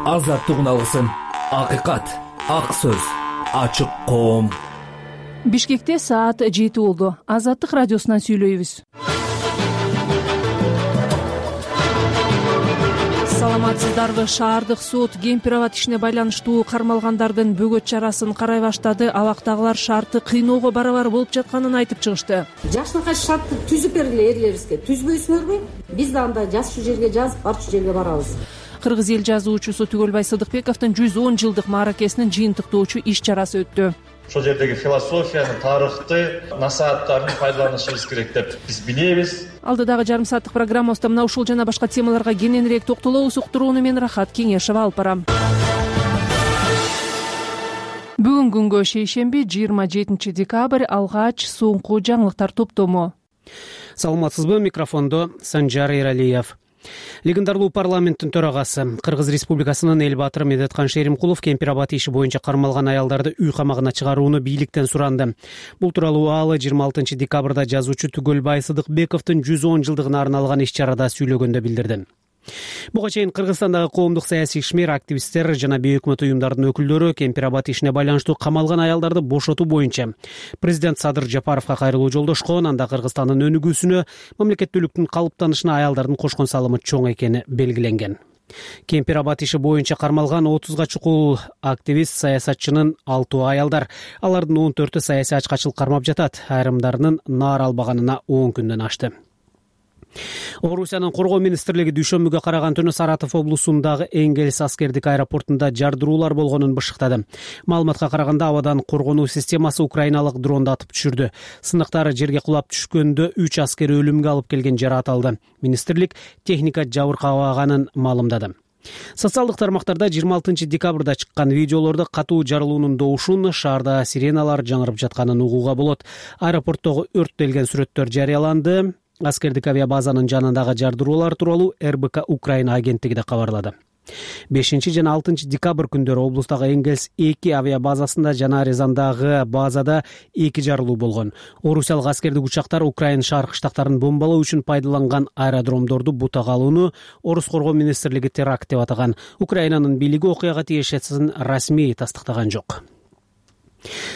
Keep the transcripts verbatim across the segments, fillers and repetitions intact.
азаттыгын алгысың. Акыйкат, ак сөз, ачык коом. Бишкекте саат жети болду. Азаттык радиосунан сүйлөйбүз. Саламатсыздарбы? Шаардык сот кемпир-абад ишине байланыштуу кармалгандардын бөгөт чарасын карай баштады. Абактагылар шартты кыйноого барабар болуп жатканын айтып чыгышты. Жашынакай шартты түзүп бергиле эрлерибизге. Түзбөйсүңөрбү? Биз да анда жазчу жерге жазып, барчу жерге барабыз. Кыргыз эл жазуучусу Түгөлбай Сыдыкбековдун жүз он жылдык мааракесинин жыйынтыктоочу иш чарасы өттү. Ошол жердеги философияны, тарыхты, насааттарын пайдаланышыбыз керек деп биз билебиз. Алдыдагы жарым сааттык программабызда мына ушул жана башка темаларга кененирээк токтолобуз. Уктурууну мен Рахат Кеңешева алып барам. Бүгүн күнгө шейшемби жыйырма жетинчи декабрь алгач соңку жаңылыктар топтому. Саламатсызбы? Микрофондо Санжар Эралиев. Легендарлуу парламенттин төрагасы Кыргыз Республикасынын эл баатыры Медеткан Шеримкулов кемпир-абад иши боюнча кармалган аялдарды үй камагына чыгарууну бийликтен суранды. Бул тууралуу ал жыйырма алтынчы декабрда жазуучу Түгөлбай Сыдыкбековдун жүз он жылдыгына арналган иш чарада сүйлөгөндө билдирди. Буга чейин Кыргызстандагы коомдук саясий ишмер, активисттер жана бейөкмөт уюмдардын өкүлдөрү кемпир-абад ишине байланыштуу камалган аялдарды бошотуу боюнча президент Садыр Жапаровго кайрылуу жолдошкон. Анда Кыргызстандын өнүгүүсүнө, мамлекеттүүлүктүн калыптанышына аялдардын кошкон салымы чоң экени белгиленген. Кемпир-абад иши боюнча кармалган отузга чукул активист, саясатчынын алтоо аялдар. Алардын он төртү саясий ачкачылык кармап жатат. Айрымдарынын наар албаганына он күндөн ашты. Орусиянын коргоо министрлиги дүйшөмбүгө караган түнү Саратов облусундагы Энгельс аскердик аэропортунда жардыруулар болгонун бышыктады. Маалыматка караганда абадан коргонуу системасы украиналык дронду атып түшүрдү. Сындыктар жерге кулап түшкөндө үч аскер өлүмгө алып келген жараат алды. Министрлик техника жабыркабаганын маалымдады. Социалдык тармактарда жыйырма алтынчы декабрда чыккан видеолордо катуу жарылуунун доушун, шаарда сиреналар жаңырып жатканын угууга болот. Аэропорттогу өрттөлгөн сүрөттөр жарыяланды. Аскердик авиабазанын жанындагы жардыруулар тууралуу эр бэ ка Украина агенттиги да кабарлады. бешинчи жана алтынчы декабрь күндөрү облустагы Энгельс эки авиабазасында жана Рязандагы базада эки жарылуу болгон. Орусиялык аскердик учактар Украина шаркы штаттарын бомбалоо үчүн пайдаланган аэродромдорду бутага алууну Орус коргоо министрлиги теракт деп атаган. Украинанын бийлиги окуяга тиешесин расмий тастыктаган жок.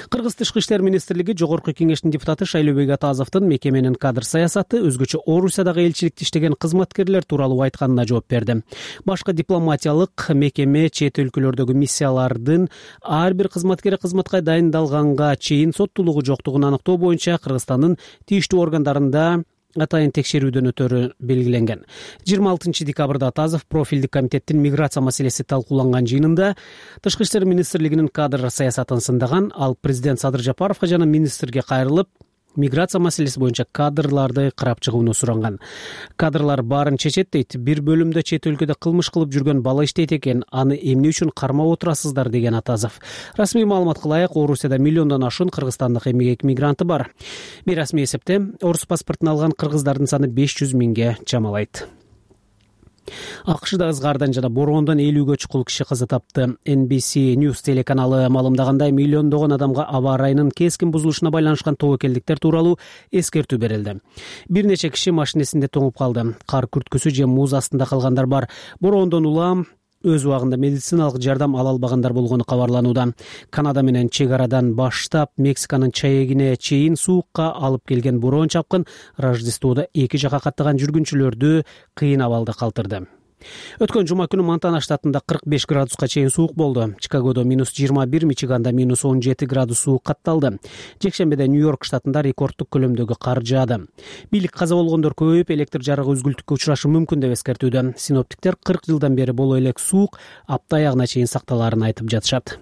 Кыргыз тышкы иштер министрлиги Жогорку кеңештин депутаты Шайлообек Атазовдун мекеменин кадр саясаты, өзгөчө Орусиядагы элчиликте иштеген кызматкерлер тууралуу айтканына жооп берди. Башка дипломатиялык мекеме, чет өлкөлөрдөгү миссиялардын ар бир кызматкери кызматка дайындалганга чейин соттуулугу жоктугун аныктоо боюнча Кыргызстандын тийиштүү органдарында атайын текшерүүдөн өтөрү белгиленген. жыйырма алтынчы декабрда Атазов профилдик комитеттин миграция маселеси талкууланган жыйынында Тышкы иштер министрлигинин кадр саясатын сындаган. Ал президент Садыр Жапаровго жана министрге кайрылып, миграция маселеси боюнча кадрларды карап чыгууну суранган. Кадрлар баарын чечет дейт. Бир бөлүмдө чет өлкөдө кылмыш кылып жүргөн бала иштейт экен. Аны эмне үчүн кармап отурасыздар, деген Атазов. Расмий маалыматка ылайык, Орусияда миллиондон ашуун кыргызстандык эмгек мигранты бар. Бейрасмий эсепте орус паспортун алган кыргыздардын саны беш жүз миңге чамалайт. АКШда ызгаардан жана бороондон элүүгө чукул киши каза тапты. эн би си News телеканалы маалымдагандай, миллиондогон адамга аба ырайынын кескин бузулушуна байланышкан тобокелдиктер тууралуу эскертүү берилди. Бир нече киши машинесинде тоңуп калды. Кар күрткүсү же муз астында калгандар бар. Бороондон улам өз убагында медициналык жардам ала албагандар болгону кабарланууда. Канада менен чек арадан баштап Мексиканын чаегине чейин суукка алып келген бороон чапкын Рождестводо эки жака каттаган жүргүнчүлөрдү кыйын абалда калтырды. Өткөн жума күнү Монтана штатында кырк беш градуска чейин суук болду. Чикагодо минус жыйырма бир, Мичиганда минус он жети градус суук катталды. Жекшембиде Нью-Йорк штатында рекордтук көлөмдөгү кар жаады. Бийлик каза болгондор көбөйүп, электр жарыгы үзгүлтүккө учурашы мүмкүн деп эскертүүдө. Синоптиктер кырк жылдан бери боло элек суук апта аягына чейин сакталаарын айтып жатышат.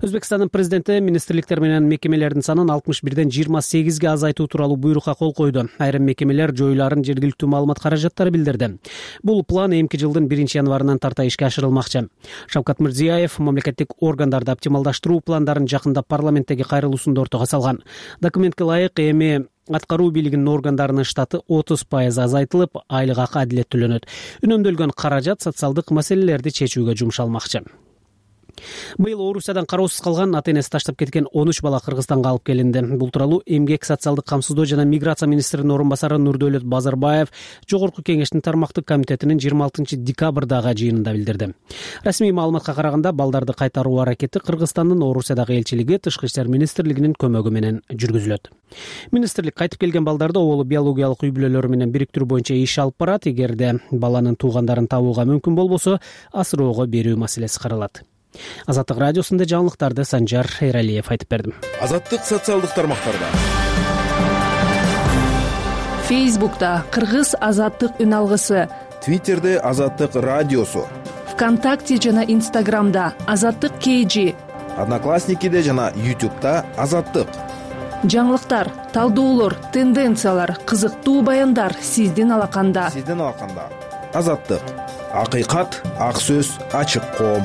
Өзбекстандын президенти министрликтер менен мекемелердин санын алтымыш бирден жыйырма сегизге азайтуу тууралуу буйрукка кол койду. Айрым мекемелер жоюларын жергиликтүү маалымат каражаттары билдирди. Бул план эмки жылдын биринчи январынан тарта ишке ашырылмакчы. Шавкат Мирзиёев мамлекеттик органдарды оптималдаштыруу пландарын жакында парламенттеги кайрылуусунда ортого салган. Документке ылайык, эми аткаруу бийлигинин органдарынын штаты отуз пайыз азайтылып, айлык акы адилет төлөнөт. Үнөмдөлгөн каражат социалдык маселелерди чечүүгө жумшалмакчы. Быйыл Орусиядан кароосуз калган, ата энеси таштап кеткен он үч бала Кыргызстанга алып келинди. Бул тууралуу Эмгек, социалдык камсыздоо жана миграция министринин орун басары Нурдөөлөт Базарбаев Жогорку Кеңештин тармактык комитетинин жыйырма алтынчы декабрдагы жыйынында билдирди. Расмий маалыматка караганда, балдарды кайтаруу аракети Кыргызстандын Орусиядагы элчилиги, Тышкы иштер министрлигинин көмөгү менен жүргүзүлөт. Министрлик кайтып келген балдарды оболу биологиялык үй бүлөлөрү менен бириктирүү боюнча иш алып барат. Эгерде баланын туугандарын табууга мүмкүн болбосо, асыроого берүү маселеси каралат. Азаттык радиосунда жаңылыктарды Санжар Эралиев айтып бердим. Азаттык социалдык тармактарда. Фейсбукта Кыргыз азаттык үн алгысы, Твиттерде Азаттык радиосу, ВКонтакте жана Инстаграмда Азаттык кейжи, Одноклассникиде жана Ютубта Азаттык. Жаңылыктар, талдоолор, тенденциялар, кызыктуу баяндар сиздин алаканда. Сиздин алаканда. Азаттык. Акыйкат, ак сөз, ачык коом.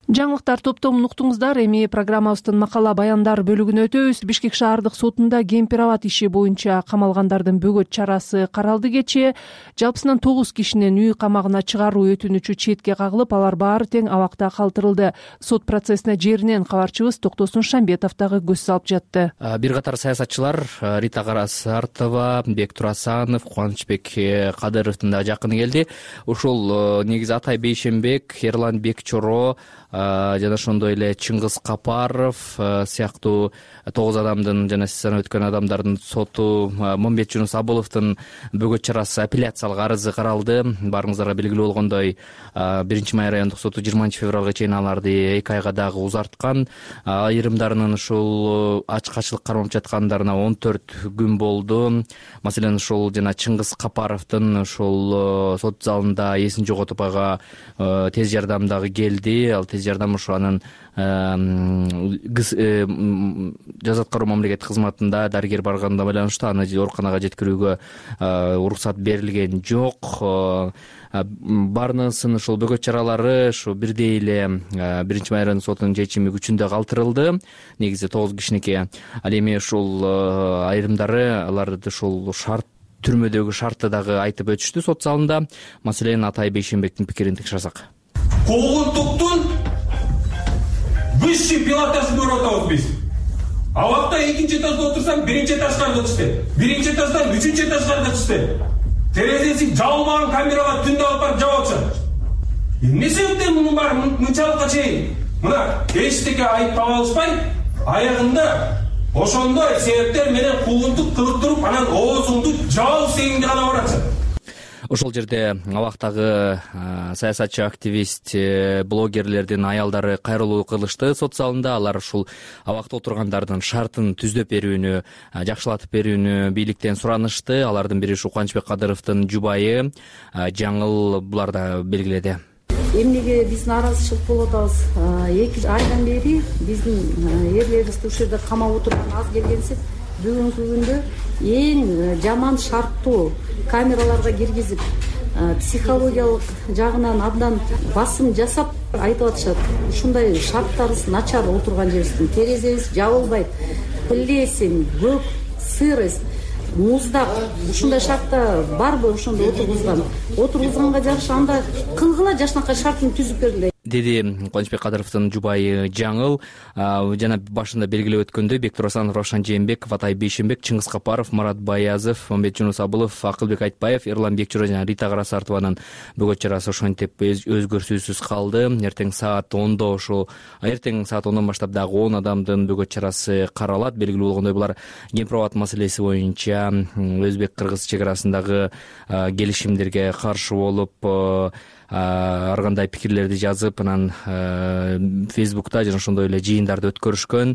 Жаңылыктар топтомун уктуңуздар. Эми программабыздын макала баяндар бөлүгүнө өтөбүз. Бишкек шаардык сотунда кемпир-абад иши боюнча камалгандардын бөгөт чарасы каралды кечээ. Жалпысынан тогуз кишинин үй камагына чыгаруу өтүнүчү четке кагылып, алар баары тең абакта калтырылды. Сот процессине жеринен кабарчыбыз Токтосун Шамбетов дагы көз салып жатты. Бир катар саясатчылар Рита Карасартова, Бектур Асанов, Кубанычбек Кадыровдун да жакыны келди. Ушул негизи Атай Бейшенбек, Эрлан Бекчоро жана ошондой эле Чыңгыз Капаров сыяктуу тогуз адамдын жана сиз санап өткөн адамдардын соту, Момбет Жунус Абыловдун бөгөт чарасы апелляциялык арызы каралды. Баарыңыздарга белгилүү болгондой, биринчи май райондук соту жыйырманчы февралга чейин аларды эки айга дагы узарткан. Айрымдарынын ушул ачкачылык кармап жаткандарына он төрт күн болду. Маселен, ушул жана Чыңгыз Капаровдун ушул сот залында эсин жоготуп ага тез жардам дагы келди. Ал тез жардам ушу анын жаза аткаруу мамлекеттик кызматында дарыгер барганына байланыштуу аны ооруканага жеткирүүгө уруксат берилген жок. Баарынын ушул бөгөт чаралары ушу бирдей эле биринчи май райондук сотунун чечими күчүндө калтырылды. Негизи тогуз кишиники. Ал эми ушул айрымдары аларды ушул шарт түрмөдөгү шартты дагы айтып өтүштү сот залында. Маселен, Атай Бейшенбектин пикирин текшерсек. Куугунтуктун высший пилотажын көрүп атабыз биз. Абакта экинчи этажда отурсаң, биринчи этажга чыкты. Биринчи этаждан үчүнчү этажга чыкты. Терезеси жабылмаган камерага түндө алып барып жабып атышат. Эмне себептен мунун баары мынчалыкка чейин мына эчтеке айыптап алышпай, аягында ошондой себептер менен куугунтук кылыктырып, анан оозуңду жабып дегенге гана баратышат. Ошол жерде абактагы саясатчы, активист, блогерлердин аялдары кайрылуу кылышты сот залында. Алар ушул абакта отургандардын шартын түздөп берүүнү, жакшылатып берүүнү бийликтен суранышты. Алардын бири ушу Кубанычбек Кадыровдун жубайы Жаңыл булар да белгиледи. Эмнеге биз нааразычылык болуп атабыз? эки айдан бери биздин эрлерибизди ушул жерде камап отурган аз келгенсип, бүгүнкү күндө эң жаман шарттуу камераларга киргизип, психологиялык жагынан абдан басым жасап айтып атышат. Ушундай шарттарыбыз начар отурган жерибиздин, терезебиз жабылбайт, плесень, көк, сырость, муздак. Ушундай шартта барбы ошондо отургузган? Отургузганга жараша анда кылгыла жашынакай шартын түзүп бергиле, деди Кубанычбек Кадыровдун жубайы Жаңыл. Жана башында белгилеп өткөндөй, Бектур Асанов, Равшан Жээнбеков, Атай Бейшенбек, Чыңгыз Капаров, Марат Баязов, Момбет Жунус Абылов, Акылбек Айтбаев, Эрлан Бекчоро жана Рита Карасартованын бөгөт чарасы ошентип өзгөрүүсүз калды. Эртең саат ондо ошол эртең саат ондон баштап дагы он адамдын бөгөт чарасы каралат. Белгилүү болгондой, булар кемпир-абад маселеси боюнча өзбек-кыргыз чек арасындагы келишимдерге каршы болуп, ар кандай пикирлерди жазып, анан Фейсбукта жана ошондой эле жыйындарды өткөрүшкөн.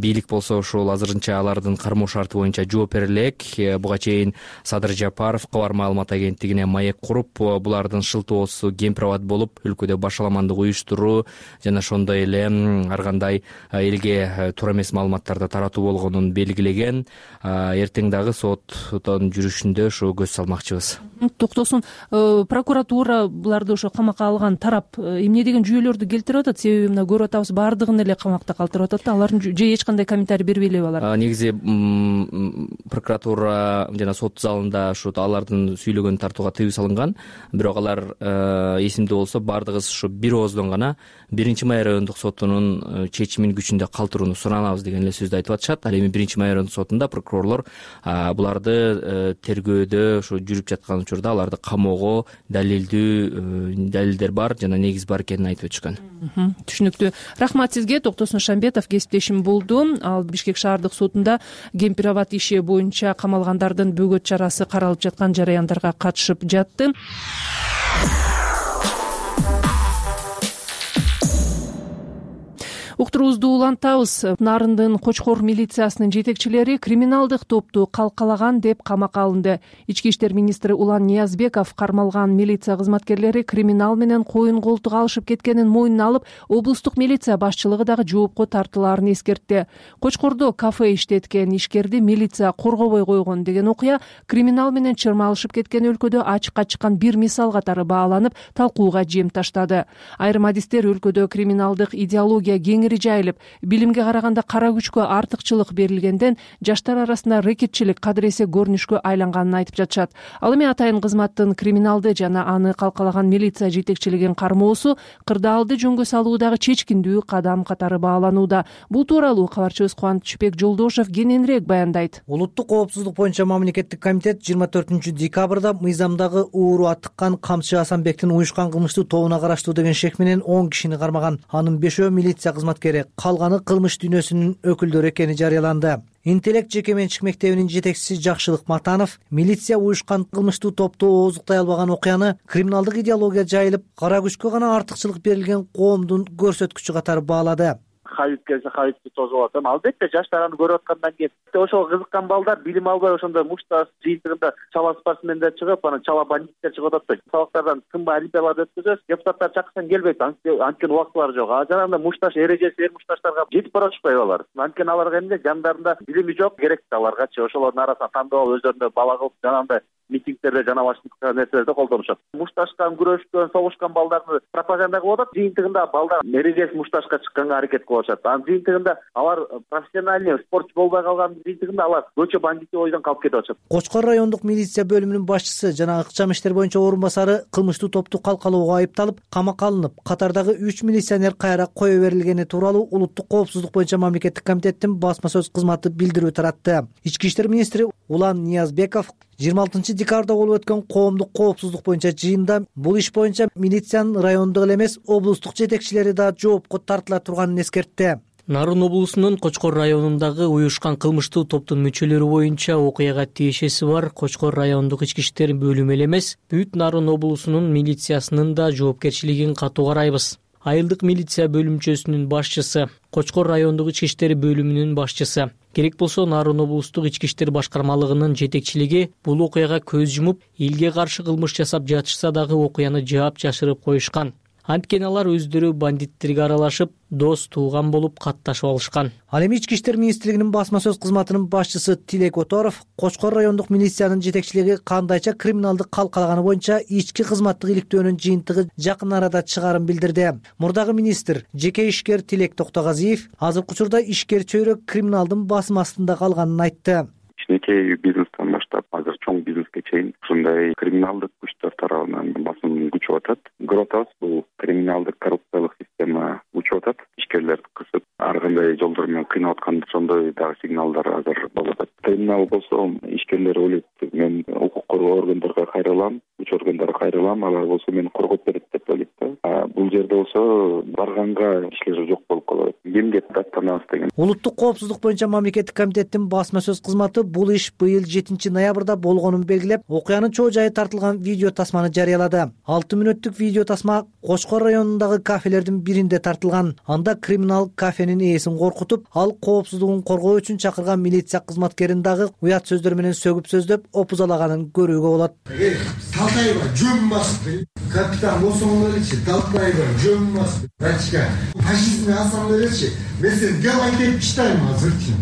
Бийлик болсо ушул азырынча алардын кармоо шарты боюнча жооп бере элек. Буга чейин Садыр Жапаров кабар маалымат агенттигине маек куруп, булардын шылтоосу кемпир-абад болуп, өлкөдө башаламандык уюштуруу жана ошондой эле ар кандай элге туура эмес маалыматтарды таратуу болгонун белгилеген. Эртең дагы соттун жүрүшүндө ушу көз салмакчыбыз. Токтосун, прокуратура буларды ошо камакка алган тарап эмне эмне деген жүйөлөрдү келтирип атат, себеби мына көрүп атабыз баардыгын эле камакта калтырып атат да, алардын же эч кандай комментарий бербей элеби алар? Негизи прокуратура жана сот залында ушу алардын сүйлөгөнүн тартууга тыюу салынган, бирок алар эсимде болсо баардыгыбыз ушу бир ооздон гана биринчи май райондук сотунун чечимин күчүндө калтырууну суранабыз деген эле сөздү айтып атышат. Ал эми биринчи май райондук сотунда прокурорлор буларды тергөөдө ушу жүрүп жаткан учурда аларды камоого далилдүү далилдер бар жана негиз бар экенин айтып өтүшкөн. Түшүнүктүү. Рахмат сизге. Токтосун Шамбетов кесиптешим болду. Ал Бишкек шаардык сотунда Кемпирабад иши боюнча камалгандардын бөгөт чарасы каралып жаткан жараяндарга катышып жатты. Уктуруубузду улантабыз. Нарындын Кочкор милициясынын жетекчилери криминалдык топту калкалаган деп камакка алынды. Ички иштер министри Улан Ниязбеков кармалган милиция кызматкерлери криминал менен коюн колтук алышып кеткенин мойнуна алып, облустук милиция башчылыгы дагы жоопко тартылаарын эскертти. Кочкордо кафе иштеткен ишкерди милиция коргобой койгон деген окуя криминал менен чырмалышып кеткен өлкөдө ачыкка чыккан бир мисал катары бааланып, талкууга жем таштады. Айрым адистер өлкөдө криминалдык идеология кеңири жайылып, билимге караганда кара күчкө артыкчылык берилгенден жаштар арасында рэкетчилик кадыресе көрүнүшкө айланганын айтып жатышат. Ал эми атайын кызматтын криминалды жана аны калкалаган милиция жетекчилигин кармоосу кырдаалды жөнгө салуудагы чечкиндүү кадам катары бааланууда. Бул тууралуу кабарчыбыз Кубанычбек Жолдошев кененирээк баяндайт. Улуттук коопсуздук боюнча мамлекеттик комитет жыйырма төртүнчү декабрда мыйзамдагы ууру аттыккан Камчы Асанбектин уюшкан кылмыштуу тобуна караштуу деген шек менен он кишини кармаган. Анын бешөө милиция кызматкери, калганы кылмыш дүйнөсүнүн өкүлдөрү экени жарыяланды. Интеллект жеке менчик мектебинин жетекчиси Жакшылык Матанов милиция уюшкан кылмыштуу топту ооздуктай албаган окуяны криминалдык идеология жайылып, кара күчкө гана артыкчылык берилген коомдун көрсөткүчү катары баалады. Хавит келсе хавитти тосуп атам. Албетте жаштар аны көрүп аткандан кийин ошол кызыккан балдар билим албай ошондой мушташ жыйынтыгында чала спортсмендер чыгып, анан чала бандиттер чыгып атат да. Сабактардан тынбай олимпиада өткөзөбүз, депутаттар чакырсаң келбейт, анткени убактылары жок. А жанагындай мушташ эрежеси эр мушташтарга жетип барышпайбы алар? Анткени аларга эмне жандарында билими жок, керек да аларгачы. Ошолордун арасынан тандап алып өздөрүнө бала кылып жанагындай митингдерде жана башка нерселерди колдонушат. Мушташкан, күрөшкөн, согушкан балдарды пропаганда кылып атат. Жыйынтыгында балдар эрежеси мушташка чыкканга аракет кылып атышат. Анын жыйынтыгында алар профессиональный спортчу болбой калган жыйынтыгында алар көчө бандити ойдон калып кетип атышат. Кочкор райондук милиция бөлүмүнүн башчысы жана ыкчам иштер боюнча орун басары кылмыштуу топту калкалоого айыпталып, камакка алынып, катардагы үч милиционер кайра кое берилгени тууралуу Улуттук коопсуздук боюнча мамлекеттик комитеттин басма сөз кызматы билдирүү таратты. Ички иштер министри Улан Ниязбеков жыйырма алтынчы декабрда болуп өткөн коомдук коопсуздук боюнча жыйында бул иш боюнча милициянын райондук эле эмес, облустук жетекчилери да жоопко тартыла турганын эскертти. Нарын облусунун Кочкор районундагы уюшкан кылмыштуу топтун мүчөлөрү боюнча окуяга тиешеси бар Кочкор райондук ички иштер бөлүмү эле эмес, бүт Нарын облусунун милициясынын да жоопкерчилигин катуу карайбыз. Айылдык милиция бөлүмчөсүнүн башчысы, Кочкор райондук ички иштер бөлүмүнүн башчысы, керек болсо Нарын облустук ички иштер башкармалыгынын жетекчилиги бул окуяга көз жумуп, элге каршы кылмыш жасап жатышса дагы окуяны жаап жашырып коюшкан. Анткени алар өздөрү бандиттерге аралашып, дос тууган болуп катташып алышкан. Ал эми ички иштер министрлигинин басма сөз кызматынын башчысы Тилек Оторов Кочкор райондук милициянын жетекчилиги кандайча криминалдык калкалаганы боюнча ички кызматтык иликтөөнүн жыйынтыгы жакын арада чыгарын билдирди. Мурдагы министр жеке ишкер Тилек Токтогазиев азыркы учурда ишкер чөйрөк криминалдын басым астында калганын айтты. Кичинекей бизнестен баштап азыр чоң бизнеске чейин ушундай криминалдык күчтөр тарабынан басым күчүп атат. Көрүп атабыз, бул криминалдык коррупциялык система учуп атат. Ишкерлерди кысып, ар кандай жолдор менен кыйнап аткан ошондой дагы сигналдар азыр болуп атат. Криминал болсо ишкерлер ойлойт, мен укук коргоо органдарга кайрылам, күч органдарга кайрылам, алар болсо мени коргоп берет деп ойлойт да. Бул жерде болсо барганга ишлер жок болуп калат. Эмге даттанабыз деген. Улуттук коопсуздук боюнча мамлекеттик комитеттин басма сөз кызматы бул иш быйыл жетинчи ноябрда болгонун белгилеп, окуянын чоо жайы тартылган видео тасманы жарыялады. алты мүнөттүк видео тасма Кочкор районундагы кафелердин биринде тартылган. Анда криминал кафенин ээсин коркутуп, ал коопсуздугун коргоо үчүн чакырган милиция кызматкерин дагы уят сөздөр менен сөгүп сөздөп опузалаганын көрүүгө болот. Талтайба жөн басты. Капитан болсоңорчу талтайба жөн басты. Рачка, фашизмди алсам беречи. Мен сени дел айтып чыктайм азырчы.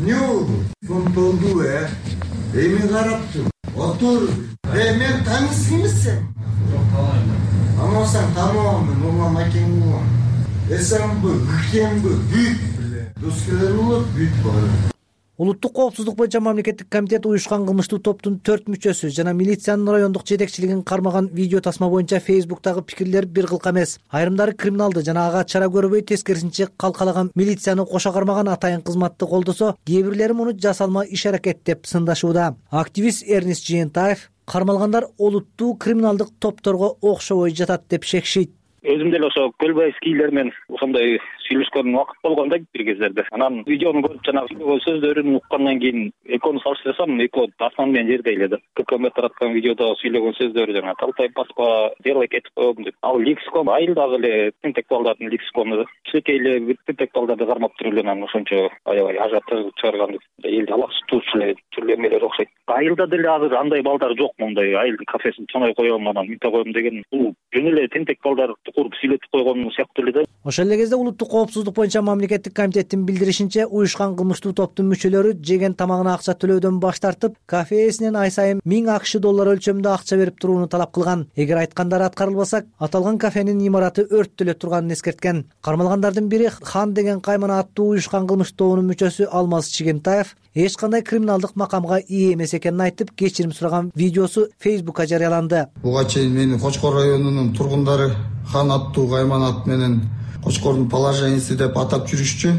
Не болду? Контолду э. Эми карап тур. Отур. Э мен таңсыз эмессем. Амасаң тануамын, нурлан акең болам. Эсенбі, үкенбі, бүт біле. Доскелер болот, бүт бар. Улуттук коопсуздук боюнча мамлекеттик комитет уюшкан кылмыштуу топтун төрт мүчөсү жана милициянын райондук жетекчилигин кармаган видео тасма боюнча Фейсбуктагы пикирлер бир кылка эмес. Айрымдары криминалды жана ага чара көрбөй тескерисинче калкалаган милицияны кошо кармаган атайын кызматты колдосо, кээ бирлери муну жасалма иш-аракет деп сындашууда. Активист Эрнест Жыентаев кармалгандар олуттуу криминалдык топторго окшобой жатат деп шекшейт. Өзүм деле ошо көлбайскийлер менен ошондой сүйлөшкөн убакыт болгон да бир кездерде. Анан видеону көрүп жанагы сөйлөгөн сөздөрүн уккандан кийин экөөнү салыштырсам, экөө асман менен жердей эле да. Көкөмөт тараткан видеодо сүйлөгөн сөздөрү жана талтай баспа делай кетип коем деп. Ал лексикон айылдагы эле интеллектуалдардын лексикону да. Кичинекей эле интеллектуалдарды кармап туруп эле анан ошончо аябай ажыратып чыгарган элди алаксытуучу эле түрлүү эмелер окшойт. Айылда деле азыр андай балдар жок, мондай айылдын кафесин чоңой коем анан мынта коем деген. Бул жөн эле интеллектуалдар куруп сүйлөтүп койгон сыяктуу эле да. Ошол эле кезде улуттук коопсуздук боюнча мамлекеттик комитеттин билдиришинче, уюшкан кылмыштуу топтун мүчөлөрү жеген тамагына акча төлөөдөн баш тартып, кафе ээсинен ай сайын миң акш доллар өлчөмүндө акча берип турууну талап кылган. Эгер айткандары аткарылбаса, аталган кафенин имараты өрттөлө турганын эскерткен. Кармалгандардын бири Хан деген каймана аттуу уюшкан кылмыш тобунун мүчөсү Алмаз Чигентаев эч кандай криминалдык макамга ээ эмес экенин айтып, кечирим сураган видеосу Фейсбукка жарыяланды. Буга чейин мени Кочкор районунун тургундары Хан аттуу каймана ат менен Кочкордун положениясы деп атап жүрүшчү.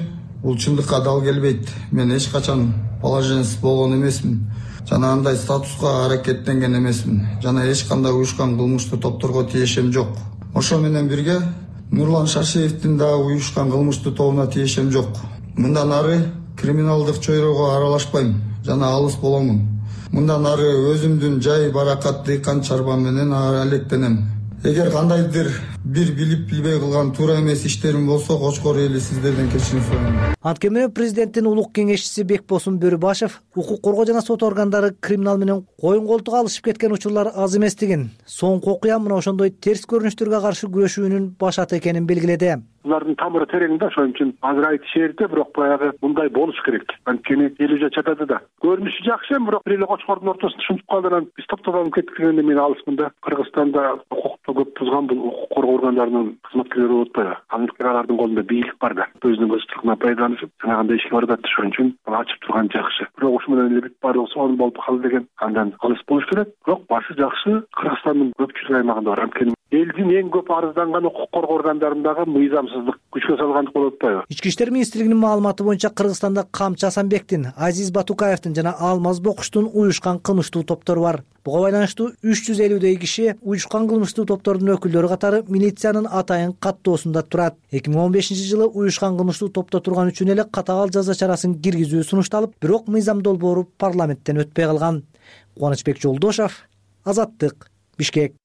Бул чындыкка дал келбейт. Мен эч качан положениясы болгон эмесмин. Жана андай статуска аракеттенген эмесмин. Жана эч кандай уюшкан кылмыштуу топторго тиешем жок. Ошо менен бирге Нурлан Шашиевдин да уюшкан кылмыштуу тобуна тиешем жок. Мындан ары криминалдык чөйрөгө аралашпайм жана алыс боломун. Мындан ары өзүмдүн жай баракат дыйкан чарбам менен алектенем. Эгер кандайдыр бир билип билбей кылган туура эмес иштерим болсо, Кочкор эли сиздерден кечирим сурайм. Анткени президенттин улук кеңешчиси Бекбосун Бөрүбашев укук коргоо жана сот органдары криминал менен коюн колтук алышып кеткен учурлар аз эместигин, соңку окуя мына ошондой терс көрүнүштөргө каршы күрөшүүнүн башаты экенин белгиледи. Булардын тамыры терең да, ошон үчүн азыр айтып шээрде, бирок баягы мындай болуш керек. Анткени эл уже чатады да. Көрүнүшү жакшы, бирок бир эле Кочкордун ортосунда ушинтип калды, анан биз топтолуп кеттик дегенде мен алысмын да. Кыргызстанда укукту көп бузган бул укук коргоо органдарынын кызматкерлери болуп атпайбы? Анткени алардын колунда бийлик бар да. Өзүнүн көзчүлүгүнөн пайдаланышып, жанагындай ишке барып атат. Ошон үчүн ачып турган жакшы. Бирок ушул менен эле бүт баардыгы сонун болуп калды деген андан алыс болуш керек. Бирок башы жакшы Кыргызстандын көпчүлүк аймагында бар. Анткени элдин эң көп арызданган укук коргоо органдарындагы мыйзамсыздык күчкө салгандык болуп атпайбы? Ички иштер министрлигинин маалыматы боюнча Кыргызстанда Камчы Асанбектин, Азиз Батукаевдин жана Алмаз Бокуштун уюшкан кылмыштуу топтору бар. Буга байланыштуу үч жүз элүүдөй киши уюшкан кылмыштуу топтордун өкүлдөрү катары милициянын атайын каттоосунда турат. эки миң он бешинчи жылы уюшкан кылмыштуу топто турган үчүн эле катаал жаза чарасын киргизүү сунушталып, бирок мыйзам долбоору парламенттен өтпөй калган. Кубанычбек Жолдошов, Азаттык, Бишкек.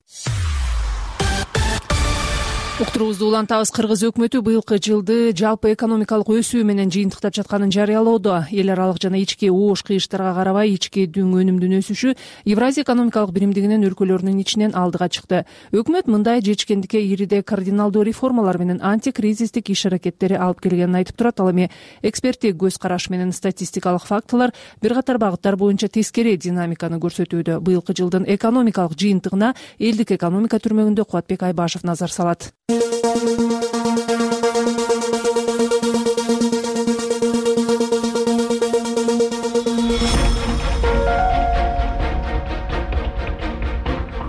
Уктуруубузду улантабыз. Кыргыз өкмөтү быйылкы жылды жалпы экономикалык өсүү менен жыйынтыктап жатканын жарыялоодо. Эл аралык жана ички оош кыйыштарга карабай ички дүң өнүмдүн өсүшү Евразия экономикалык биримдигинин өлкөлөрүнүн ичинен алдыга чыкты. Өкмөт мындай жечкендикке ириде кардиналдуу реформалар менен антикризистик иш-аракеттери алып келгенин айтып турат. Ал эми эксперттик көз караш менен статистикалык фактылар бир катар багыттар боюнча тескери динамиканы көрсөтүүдө. Быйылкы жылдын экономикалык жыйынтыгына элдик экономика түрмөгүндө Кубатбек Айбашев назар салат.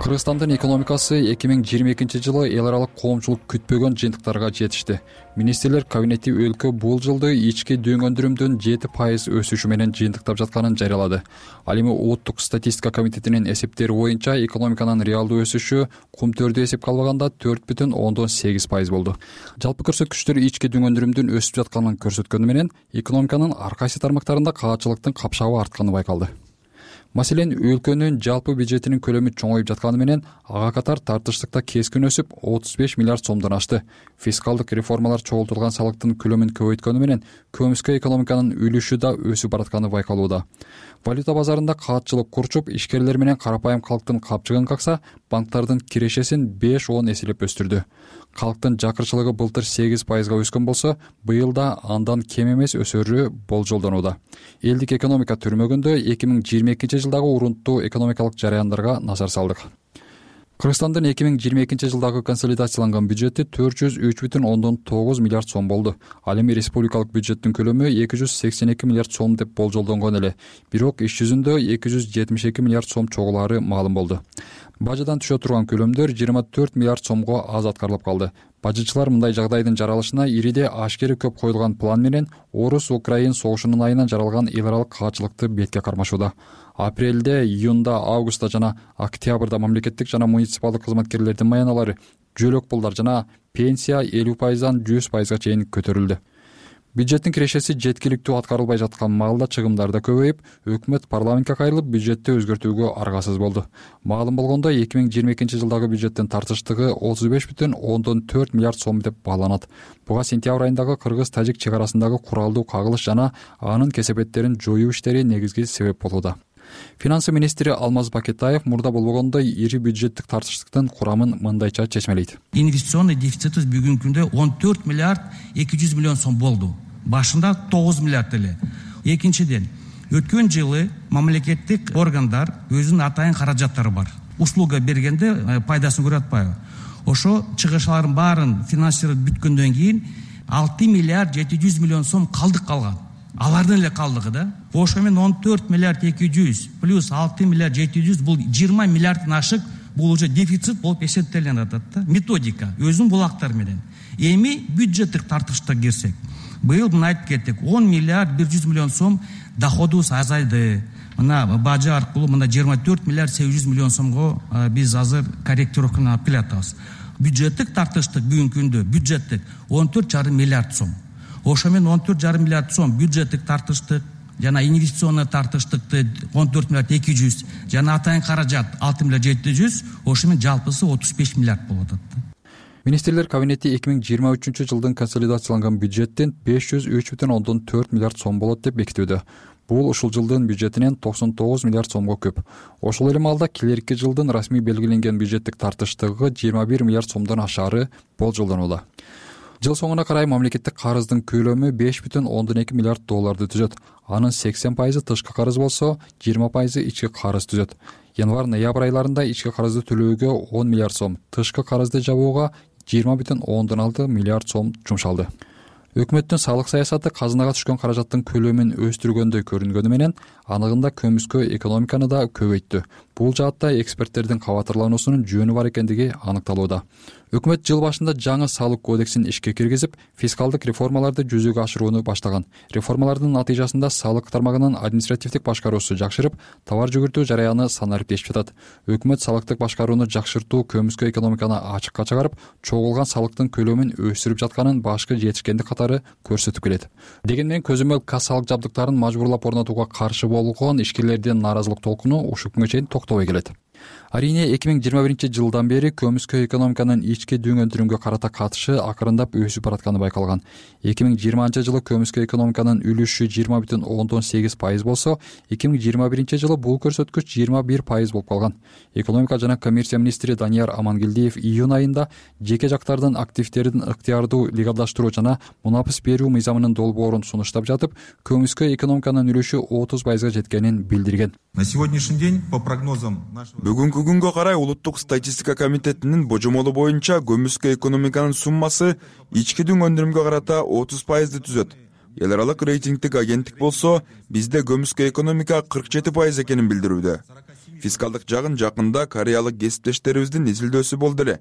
Кыргызстандын экономикасы эки миң жыйырма экинчи жылы эл аралык коомчулук күтпөгөн жыйынтыктарга жетишти. Министрлер кабинети өлкө бул жылды ички дүң өндүрүмдүн жети пайыз өсүшү менен жыйынтыктап жатканын жарыялады. Ал эми улуттук статистика комитетинин эсептери боюнча экономиканын реалдуу өсүшү кумтөрдү эсепке албаганда төрт бүтүн ондон сегиз пайыз болду. Жалпы көрсөткүчтөр ички дүң өндүрүмдүн өсүп жатканын көрсөткөнү менен экономиканын ар кайсы тармактарында каачылыктын капшабы артканы байкалды. Маселен, өлкөнүн жалпы бюджетинин көлөмү чоңоюп жатканы менен ага катар тартыштыкта кескин өсүп отуз беш миллиард сомдон ашты. Фискалдык реформалар чогултулган салыктын көлөмүн көбөйткөнү менен көмүскө экономиканын үлүшү да өсүп баратканы байкалууда. Валюта базарында каатчылык курчуп, ишкерлер менен карапайым калктын капчыгын какса, банктардын кирешесин беш он эселеп өстүрдү. Калктын жакырчылыгы былтыр сегиз пайызга өскөн болсо, быйыл да андан кем эмес өсөрү болжолдонууда. Элдик экономика түрмөгүндө эки миң жыйырма экинчи жылдагы урунттуу экономикалык жараяндарга назар салдык. кыргызстандын эки миң жыйырма экинчи жылдагы консолидацияланган бюджети төрт жүз үч бүтүн ондон тогуз миллиард сом болду. Ал эми республикалык бюджеттин көлөмү эки жүз сексен эки миллиард сом деп болжолдонгон эле. Бирок иш жүзүндө эки жүз жетимиш эки миллиард сом чогулаары маалым болду. Бажадан түшө турган көлөмдөр жыйырма төрт миллиард сомго аз аткарылып калды. Бажычылар мындай жагдайдын жаралышына ириде ашкери көп коюлган план менен Орус-Украин согушунун айынан жаралган эл аралык каачылыкты бетке кармашууда. Апрелде, июнда, августта жана октябрда мамлекеттик жана муниципалдык кызматкерлердин маяналары, жөлөк пулдар жана пенсия элүү пайыздан жүз пайызга чейин көтөрүлдү. Бюджеттин кирешеси жеткиликтүү аткарылбай жаткан маалда чыгымдар да көбөйүп, өкмөт парламентке кайрылып бюджетти өзгөртүүгө аргасыз болду. Маалым болгондой, эки миң жыйырма экинчи жылдагы бюджеттин тартыштыгы отуз беш бүтүн ондон төрт миллиард сом деп бааланат. Буга сентябрь айындагы кыргыз-тажик чек арасындагы куралдуу кагылыш жана анын кесепеттерин жоюу иштери негизги себеп болууда. Финансы министри Алмаз Бакетаев мурда болбогондой ири бюджеттик тартыштыктын курамын мындайча чечмелейт. Инвестиционный дефицитибиз бүгүнкү күндө он төрт миллиард эки жүз миллион сом болду. Башында тогуз миллиард эле. Экинчиден, өткөн жылы мамлекеттик органдар өзүнүн атайын каражаттары бар. Услуга бергенде пайдасын көрүп атпайбы? Ошо чыгышлардын баарын финансировать бүткөндөн кийин алты миллиард жети жүз миллион сом калдык калган. Алардын эле калдыгы да. Ошо менен он төрт миллиард эки жүз плюс алты миллиард жети жүз бул жыйырма миллиардтан ашык, бул уже дефицит болуп эсептелип атат да. Методика өзүнүн булактары менен. Эми бюджеттик тартышта кирсек, быйыл мына айтып кеттик, он миллиард бир жүз миллион сом доходубуз азайды. Мына бажы аркылуу мына жыйырма төрт миллиард сегиз жүз миллион сомго биз азыр корректировканы алып келатабыз. Бюджеттик тартыштык бүгүнкү күндө бюджеттик он төрт жарым миллиард сом. Ошо менен он төрт жарым миллиард сом бюджеттик тартыштык жана инвестиционный тартыштыкты он төрт миллиард эки жүз жана атайын каражат алты миллиард жети жүз, ошо менен жалпысы отуз беш миллиард болуп атат. Министрлер кабинети эки миң жыйырма үчүнчү жылдын консолидацияланган бюджеттин беш жүз үч бүтүн ондон төрт миллиард сом болот деп бекитүүдө. Бул ушул жылдын бюджетинен токсон тогуз миллиард сомго көп. Ошол эле маалда келерки жылдын расмий белгиленген бюджеттик тартыштыгы жыйырма бир миллиард сомдон ашаары болжолдонууда. Жыл соңуна карай мамлекеттик карыздын көлөмү беш бүтүн ондон эки миллиард долларды түзөт. Анын сексен пайызы тышкы карыз болсо, жыйырма пайызы ички карыз түзөт. Январь-ноябрь айларында ички карызды төлөөгө он миллиард сом, тышкы карызды жабууга жыйырма бүтүн ондон алты миллиард сом жумшалды. Өкмөттүн салык саясаты казынага түшкөн каражаттын көлөмүн өстүргөндөй көрүнгөнү менен анығында көмүскө экономиканы да көбөйттү. Бул жаатта эксперттердин кабатырлануусунун жөнү бар экендиги аныкталууда. Өкмөт жыл башында жаңы салык кодексин ишке киргизип, фискалдык реформаларды жүзөгө ашырууну баштаган. Реформалардын натыйжасында салык тармагынын административдик башкаруусу жакшырып, товар жүгүртүү жараяны санариптешип жатат. Өкмөт салыктык башкарууну жакшыртуу көмүскө экономиканы ачыкка чыгарып, чогулган салыктын көлөмүн өстүрүп жатканын башкы жетишкендик катары көрсөтүп келет. Дегенмен көзөмөл кассалык жабдыктарын мажбурлап орнотууга каршы болгон ишкерлердин нааразылык толкуну ушул күнгө чейин токтобой келет. Арийне эки миң жыйырма биринчи жылдан бери көмүскө экономиканын ички дүң өндүрүмгө карата катышы акырындап өсүп баратканы байкалган. эки миң жыйырманчы жылы көмүскө экономиканын үлүшү жыйырма бүтүн ондон сегиз пайыз болсо, эки миң жыйырма биринчи жылы бул көрсөткүч жыйырма бир пайыз болуп калган. Экономика жана коммерция министри Данияр Амангелдиев июнь айында жеке жактардын активдерин ыктыярдуу легалдаштыруу жана мунапыс берүү мыйзамынын долбоорун сунуштап жатып, көмүскө экономиканын үлүшү отуз пайызга жеткенин билдирген. На сегодняшний день по прогнозам нашего Бүгүнкү күнгө карай улуттук статистика комитетинин божомолу боюнча көмүскө экономиканын суммасы ички дүң өндүрүмгө карата отуз пайызды түзөт. Эл аралык рейтингдик агенттик болсо, бизде көмүскө экономика кырк жети пайыз экенин билдирүүдө. Фискалдык жагын жакында кореялык кесиптештерибиздин изилдөөсү болду эле.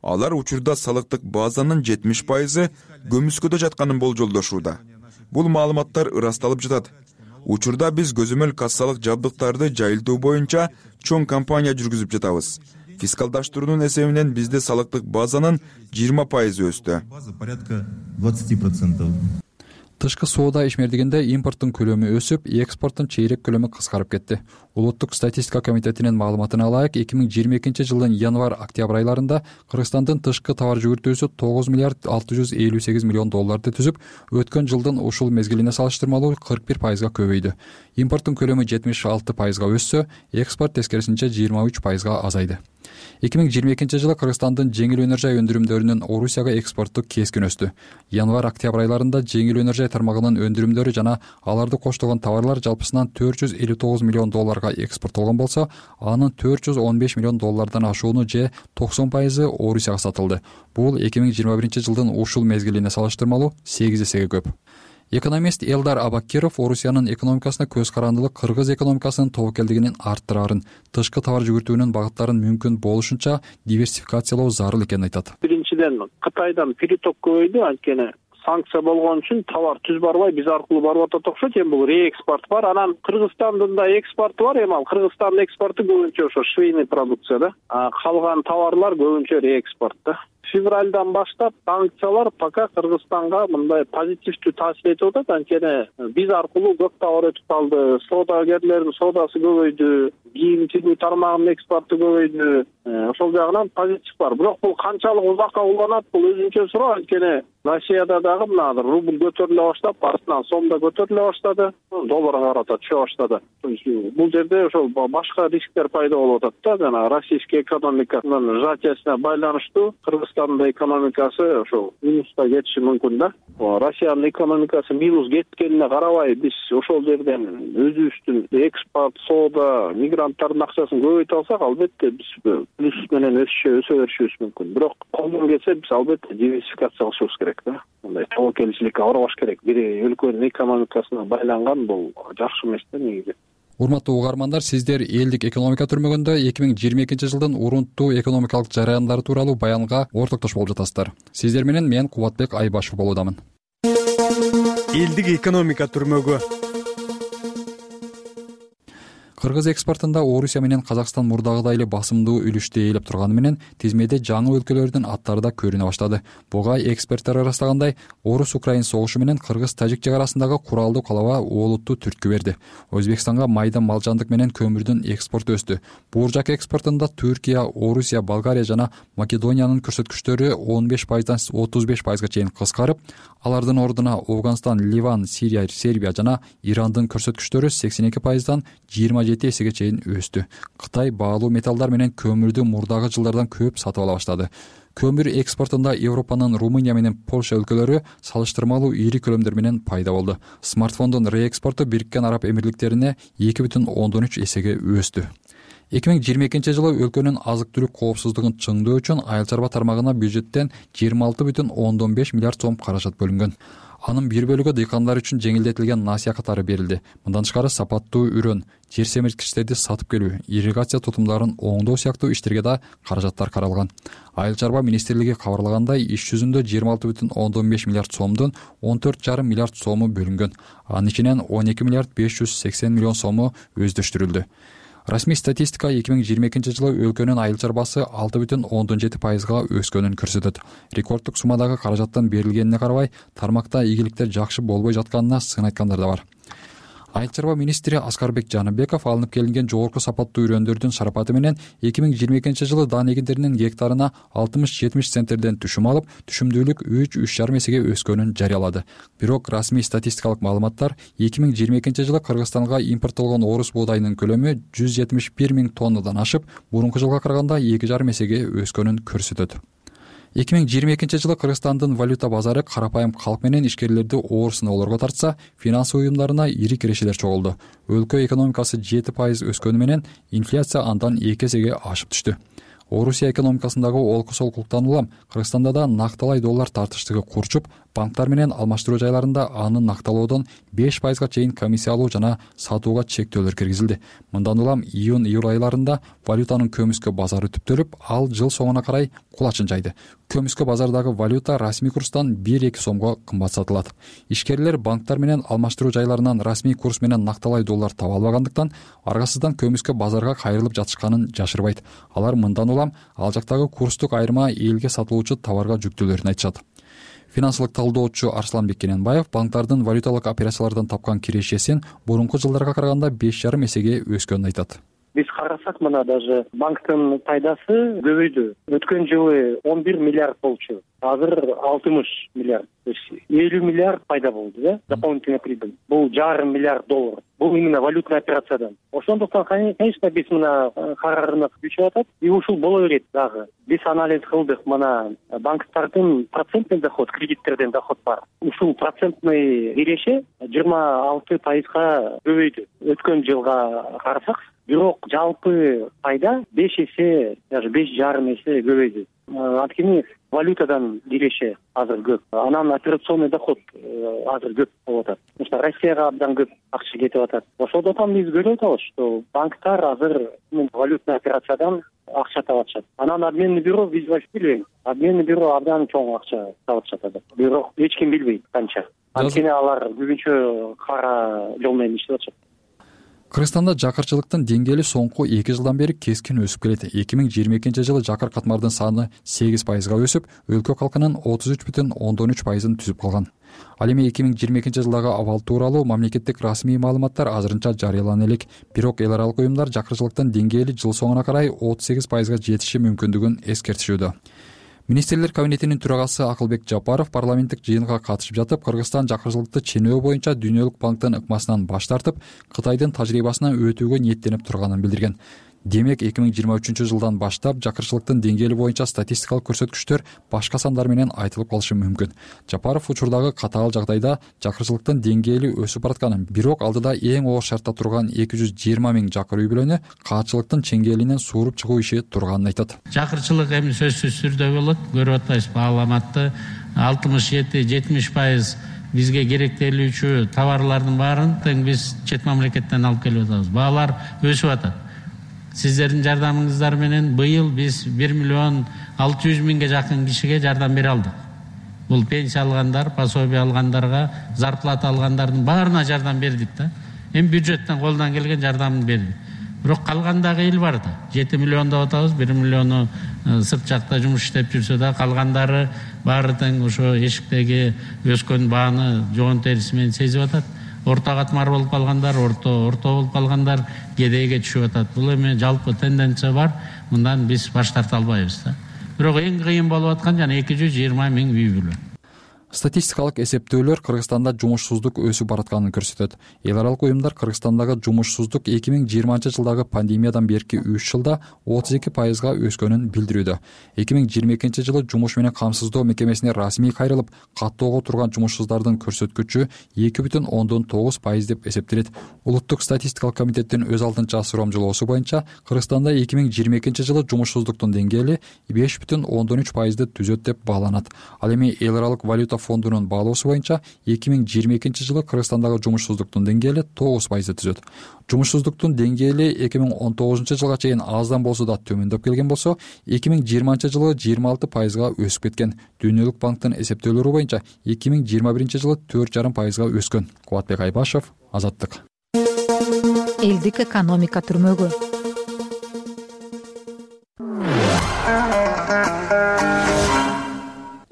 Алар учурда салыктык базанын жетимиш пайызы көмүскөдө жатканын болжолдошууда. Бул маалыматтар ырасталып жатат. Учурда биз көзөмөл кассалык жабдыктарды жайылтуу боюнча чоң кампания жүргүзүп жатабыз. Фискалдаштыруунун эсебинен бизде салыктык базанын жыйырма пайызы өстү. порядка двадцать процентов. Тышкы соода ишмердигинде импорттун көлөмү өсүп, экспорттун чейрек көлөмү кыскарып кетти. Улуттук статистика комитетинин маалыматына ылайык, эки миң жыйырма экинчи жылдын январь-октябрь айларында Кыргызстандын тышкы товар жүгүртүүсү тогуз миллиард алты жүз элүү сегиз миллион долларды түзүп, өткөн жылдын ушул мезгилине салыштырмалуу кырк бир пайызга көбөйдү. Импорттун көлөмү жетимиш алты пайызга өссө, экспорт тескерисинче жыйырма үч пайызга азайды. эки миң жыйырма экинчи жылы Кыргызстандын жеңил өнөр жай өндүрүмдөрүнүн Орусияга экспорту кескин өстү. Январь-октябрь айларында жеңил өнөр жай тармагынын өндүрүмдөрү жана аларды коштогон товарлар жалпысынан төрт жүз элүү тогуз миллион долларга экспорттолгон болсо, анын төрт жүз он беш миллион доллардан ашууну же токсон пайызы Орусияга сатылды. Бул эки миң жыйырма биринчи жылдын ушул мезгилине салыштырмалуу сегиз эсеге көп. Экономист Элдар Абакиров Орусиянын экономикасына көз карандылык кыргыз экономикасынын тобокелдигинин арттырарын, тышкы товар жүгүртүүнүн багыттарын мүмкүн болушунча диверсификациялоо зарыл экенин айтат. Биринчиден, Кытайдан приток көбөйдү, анткени санкция болгон үчүн товар түз барбай биз аркылуу барып атат окшойт. Эми бул реэкспорт бар. Анан Кыргызстандын да экспорту бар. Эми ал Кыргызстандын экспорту көбүнчө ошо швейный продукция да. А калган товарлар көбүнчө реэкспорт да. Февралдан баштап санкциялар пока Кыргызстанга мындай позитивдүү таасир этип атат. Анткени биз аркылуу көп товар өтүп калды. Соодагерлердин соодасы көбөйдү, кийим тигүү тармагынын экспорту көбөйдү. Ошол жагынан позитив бар. Бирок бул канчалык узакка уланат, бул өзүнчө суроо. Анткени Россияда дагы мына рубль көтөрүлө баштап, артынан сом да көтөрүлө баштады, долларга карата түшө баштады. Бул жерде ошол башка рисктер пайда болуп атат да, жана российский экономиканын сжатиясына байланыштуу Кыргызстандын экономикасы ошол минуска кетиши мүмкүн да. Россиянын экономикасы минус кеткенине карабай, биз ошол жерден өзүбүздүн экспорт, соода, мигранттардын акчасын көбөйтө алсак, албетте биз плюс менен өсө өсө беришибиз мүмкүн. Бирок колдон келсе биз албетте диверсификация кылышыбыз керек да. Мындай тобокелчиликке барбаш керек. Бир өлкөнүн экономикасына байланган бул жакшы эмес да негизи. Урматтуу угармандар, сиздер элдик экономика түрмөгүндө эки миң жыйырма экинчи жылдын урунттуу экономикалык жараяндары тууралуу баянга ортоктош болуп жатасыздар. Сиздер менен мен Кубатбек Айбашев болуудамын. Элдик экономика түрмөгү. Кыргыз экспортунда Орусия менен Казакстан мурдагыдай эле басымдуу үлүштү ээлеп турганы менен тизмеде жаңы өлкөлөрдүн аттары да көрүнө баштады. Буга эксперттер ырастагандай, Орус-Украин согушу менен Кыргыз-Тажик чек арасындагы куралдуу калаба олуттуу түрткү берди. Өзбекстанга майда малжандык менен көмүрдүн экспорту өстү. Бууржак экспортунда Түркия, Орусия, Болгария жана Македониянын көрсөткүчтөрү он беш пайыздан отуз беш пайызга чейин кыскарып, алардын ордуна Афганистан, Ливан, Сирия, Сербия жана Ирандын көрсөткүчтөрү сексен эки пайыздан жыйырма жети эсеге чейин өстү. Кытай баалуу металлдар менен көмүрдү мурдагы жылдардан көп сатып ала баштады. Көмүр экспортунда Европанын Румыния менен Польша өлкөлөрү салыштырмалуу ири көлөмдөр менен пайда болду. Смартфондун реэкспорту Бириккен Араб Эмирликтерине эки бүтүн ондон үч эсеге өстү. эки миң жыйырма экинчи жылы өлкөнүн азык-түлүк коопсуздугун чыңдоо үчүн айыл чарба тармагына бюджеттен жыйырма алты бүтүн ондон беш миллиард сом каражат бөлүнгөн. Анын бир бөлүгү дыйкандар үчүн жеңилдетилген насыя катары берилди. Мындан тышкары сапаттуу үрөн, жер семирткичтерди сатып келүү, ирригация тутумдарын оңдоо сыяктуу иштерге да каражаттар каралган. Айыл чарба министрлиги кабарлагандай, иш жүзүндө жыйырма алты бүтүн ондон беш миллиард сомдун он төрт жарым миллиард сому бөлүнгөн. Анын ичинен он эки миллиард беш жүз сексен миллион сому өздөштүрүлдү. Расмий статистика эки миң жыйырма экинчи жылы өлкөнүн айыл чарбасы алты бүтүн ондон жети пайызга өскөнүн көрсөтөт. Рекорддук суммадагы каражаттын берилгенине карабай, тармакта ийгиликтер жакшы болбой жатканына сын айткандар да бар. Айыл чарба министри Аскарбек Жаныбеков алынып келинген жогорку сапаттуу үрөндөрдүн шарапаты менен эки миң жыйырма экинчи жылы дан эгиндеринин гектарына алтымыш жетимиш центнерден түшүм алып, түшүмдүүлүк үч үч жарым эсеге өскөнүн жарыялады. Бирок расмий статистикалык маалыматтар эки миң жыйырма экинчи жылы Кыргызстанга импорттолгон орус буудайынын көлөмү жүз жетимиш бир миң тоннадан ашып, мурунку жылга караганда эки жарым эсеге өскөнүн көрсөтөт. эки миң жыйырма экинчи жылы Кыргызстандын валюта базары карапайым калк менен ишкерлерди оор сыноолорго тартса, финансы уюмдарына ири кирешелер чогулду. Өлкө экономикасы жети пайыз өскөнү менен инфляция андан эки эсеге ашып түштү. Орусия экономикасындагы олку-солкулуктан улам Кыргызстанда да накталай доллар тартыштыгы курчуп, банктар менен алмаштыруу жайларында аны накталоодон беш пайызга чейин комиссия алуу жана сатууга чектөөлөр киргизилди. Мындан улам июнь-июль айларында валютанын көмүскө базары түптөлүп, ал жыл соңуна карай кулачын жайды. Көмүскө базардагы валюта расмий курстан бир эки сомго кымбат сатылат. Ишкерлер банктар менен алмаштыруу жайларынан расмий курс менен накталай доллар таба албагандыктан, аргасыздан көмүскө базарга кайрылып жатышканын жашырбайт. Алар мындан улам ал жактагы курстук айырма элге сатылуучу товарга жүктөөлөрүн айтышат. Финансылык талдоочу Арсланбек Кененбаев банктардын валюталык операциялардан тапкан кирешесин мурунку жылдарга караганда беш жарым эсеге өскөнүн айтат. Биз карасак, мына даже банктын пайдасы көбөйдү. Өткөн жылы он бир миллиард болчу. Азыр алтымыш миллиард. элүү миллиард пайда болду, да? Дополнительный прибыль. Бул жарым миллиард доллар. бул именно валютный операциядан. Ошондуктан конечно биз мына карарына күчүп атат и ушул боло берет дагы. Биз анализ кылдык, мына банктардын процентный доход, кредиттерден доход бар. Ушул процентный киреше жыйырма алты пайызга көбөйдү өткөн жылга карасак. Бирок жалпы пайда беш эсе, даже беш жарым эсе көбөйдү. Анткени валютадан киреше азыр көп. Анан операционный доход азыр көп болуп атат. Мисалы Россияга абдан көп акча кетип атат. Ошондуктан биз көрүп атабыз, что банктар азыр валютный операциядан акча таап атышат. Анан обменный бюро биз вообще билбейбиз. Обменный бюро абдан чоң акча таап атышат. Бирок эч ким билбейт канча. Анткени алар көбүнчө кара жол менен иштеп атышат. Кыргызстанда жакырчылыктын деңгээли соңку эки жылдан бери кескин өсүп келет. эки миң жыйырма экинчи жылы жакыр катмардын саны сегиз пайызга өсүп, өлкө калкынын отуз үч бүтүн ондон үч пайызын түзүп калган. Ал эми эки миң жыйырма экинчи жылдагы абал тууралуу мамлекеттик расмий маалыматтар азырынча жарыялана элек. Бирок эл аралык уюмдар жакырчылыктын деңгээли жыл соңуна карай отуз сегиз пайызга жетиши мүмкүндүгүн эскертишүүдө. Министрлер кабинетинин төрагасы Акылбек Жапаров парламенттик жыйынга катышып жатып, Кыргызстан жакырчылыкты ченөө боюнча Дүйнөлүк банктын ыкмасынан баш тартып, Кытайдын тажрыйбасына өтүүгө ниеттенип турганын билдирген. Демек эки миң жыйырма үчүнчү жылдан баштап жакырчылыктын деңгээли боюнча статистикалык көрсөткүчтөр башка сандар менен айтылып калышы мүмкүн. Жапаров учурдагы катаал жагдайда жакырчылыктын деңгээли өсүп баратканын, бирок алдыда эң оор шартта турган эки жүз жыйырма миң жакыр үй бүлөнү каатчылыктын чеңгелинен сууруп чыгуу иши турганын айтат. Жакырчылык эми сөзсүз түрдө болот. Көрүп атпайсызбы, бааламатты алтымыш жети жетимиш пайыз бизге керектелүүчү товарлардын баарын тең биз чет мамлекеттен алып келип атабыз. Баалар өсүп атат. Сиздердин жардамыңыздар менен быйыл биз бир миллион алты жүз миңге жакын кишиге жардам бере алдык. Бул пенсия алгандар, пособие алгандарга, зарплата алгандардын баарына жардам бердик да. Эми бюджеттен колдон келген жардамды бердик. Бирок калгандагы эл бар да. жети миллион деп атабыз, бир миллиону сырт жакта жумуш иштеп жүрсө да, калгандары баары тең ошо эшиктеги өскөн бааны жоон териси менен сезип атат. Орто катмар болуп калгандар, орто орто болуп калгандар кедейге түшүп атат. Бул эми жалпы тенденция бар. Мындан биз баш тарта албайбыз да. Бирок эң кыйын болуп аткан жана эки жүз жыйырма миң үй бүлө. Статистикалык эсептөөлөр Кыргызстанда жумушсуздук өсүп баратканын көрсөтөт. Эл аралык уюмдар Кыргызстандагы жумушсуздук эки миң жыйырманчы жылдагы пандемиядан берки үч жылда отуз эки пайызга өскөнүн билдирүүдө. эки миң жыйырма экинчи жылы жумуш менен камсыздоо мекемесине расмий кайрылып, каттоого турган жумушсуздардын көрсөткүчү эки бүтүн ондон тогуз пайыз деп эсептелет. Улуттук статистикалык комитеттин өз алдынча сурамжылоосу боюнча Кыргызстанда эки миң жыйырма экинчи жылы жумушсуздуктун деңгээли беш бүтүн ондон үч пайызды түзөт деп бааланат. Ал эми эл аралык валюта фондунун баалоосу боюнча эки миң жыйырма экинчи жылы Кыргызстандагы жумушсуздуктун деңгээли тогуз пайызды түзөт. Жумушсуздуктун деңгээли эки миң он тогузунчу жылга чейин аздан болсо да төмөндөп келген болсо, эки миң жыйырманчы жылы жыйырма алты пайызга өсүп кеткен. Дүйнөлүк банктын эсептөөлөрү боюнча эки миң жыйырма биринчи жылы төрт жарым пайызга өскөн. Кубатбек Айбашев, Азаттык. Элдик экономика түрмөгү.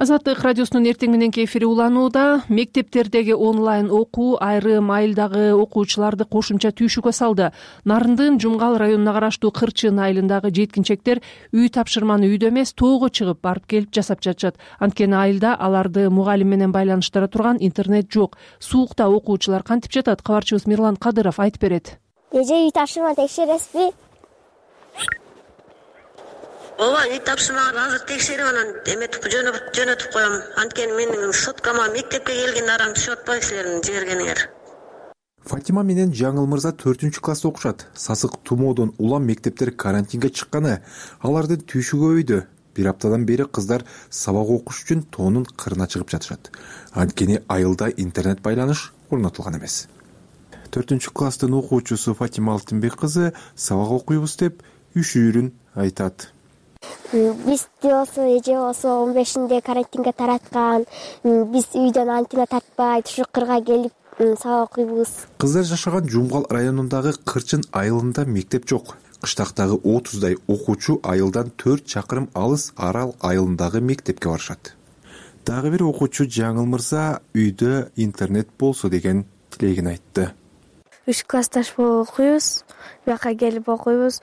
Азаттык радиосунун эртең мененки эфири уланууда. Мектептердеги онлайн окуу айрым айылдагы окуучуларды кошумча түйшүккө салды. Нарындын Жумгал районуна караштуу Кырчын айылындагы жеткинчектер үй тапшырманы үйдө эмес, тоого чыгып барып келип жасап жатышат. Анткени айылда аларды мугалим менен байланыштыра турган интернет жок. Суукта окуучулар кантип жатат? Кабарчыбыз Мирлан Кадыров айтып берет. Эже үй тапшырма текшересизби? Ооба, үй тапшырманы азыр текшерип анан эметип жөнөтүп коем. Анткени менин соткама мектепке келген арам түшүп атпайбы силердин жибергениңер. Фатима менен Жаңыл мырза төртүнчү класста окушат. Сасык тумоодон улам мектептер карантинге чыкканы алардын түйшүгү көбөйдү. Бир аптадан бери кыздар сабак окуш үчүн тоонун кырына чыгып жатышат. Анткени айылда интернет байланыш орнотулган эмес. төртүнчү класстын окуучусу Фатима Алтынбек кызы сабак окуйбуз деп үшүүрүн айтат. Биз болсо эже болсо он бешинде карантинге тараткан. Биз үйдөн антина тартпай ушу кырга келип сабак окуйбуз. Кыздар жашаган Жумгал районундагы Кырчын айылында мектеп жок. Кыштактагы отуздай окуучу айылдан төрт чакырым алыс Арал айылындагы мектепке барышат. Дагы бир окуучу Жаңыл мырза үйдө интернет болсо деген тилегин айтты. Үч классташ болуп окуйбуз. Бияка келип окуйбуз.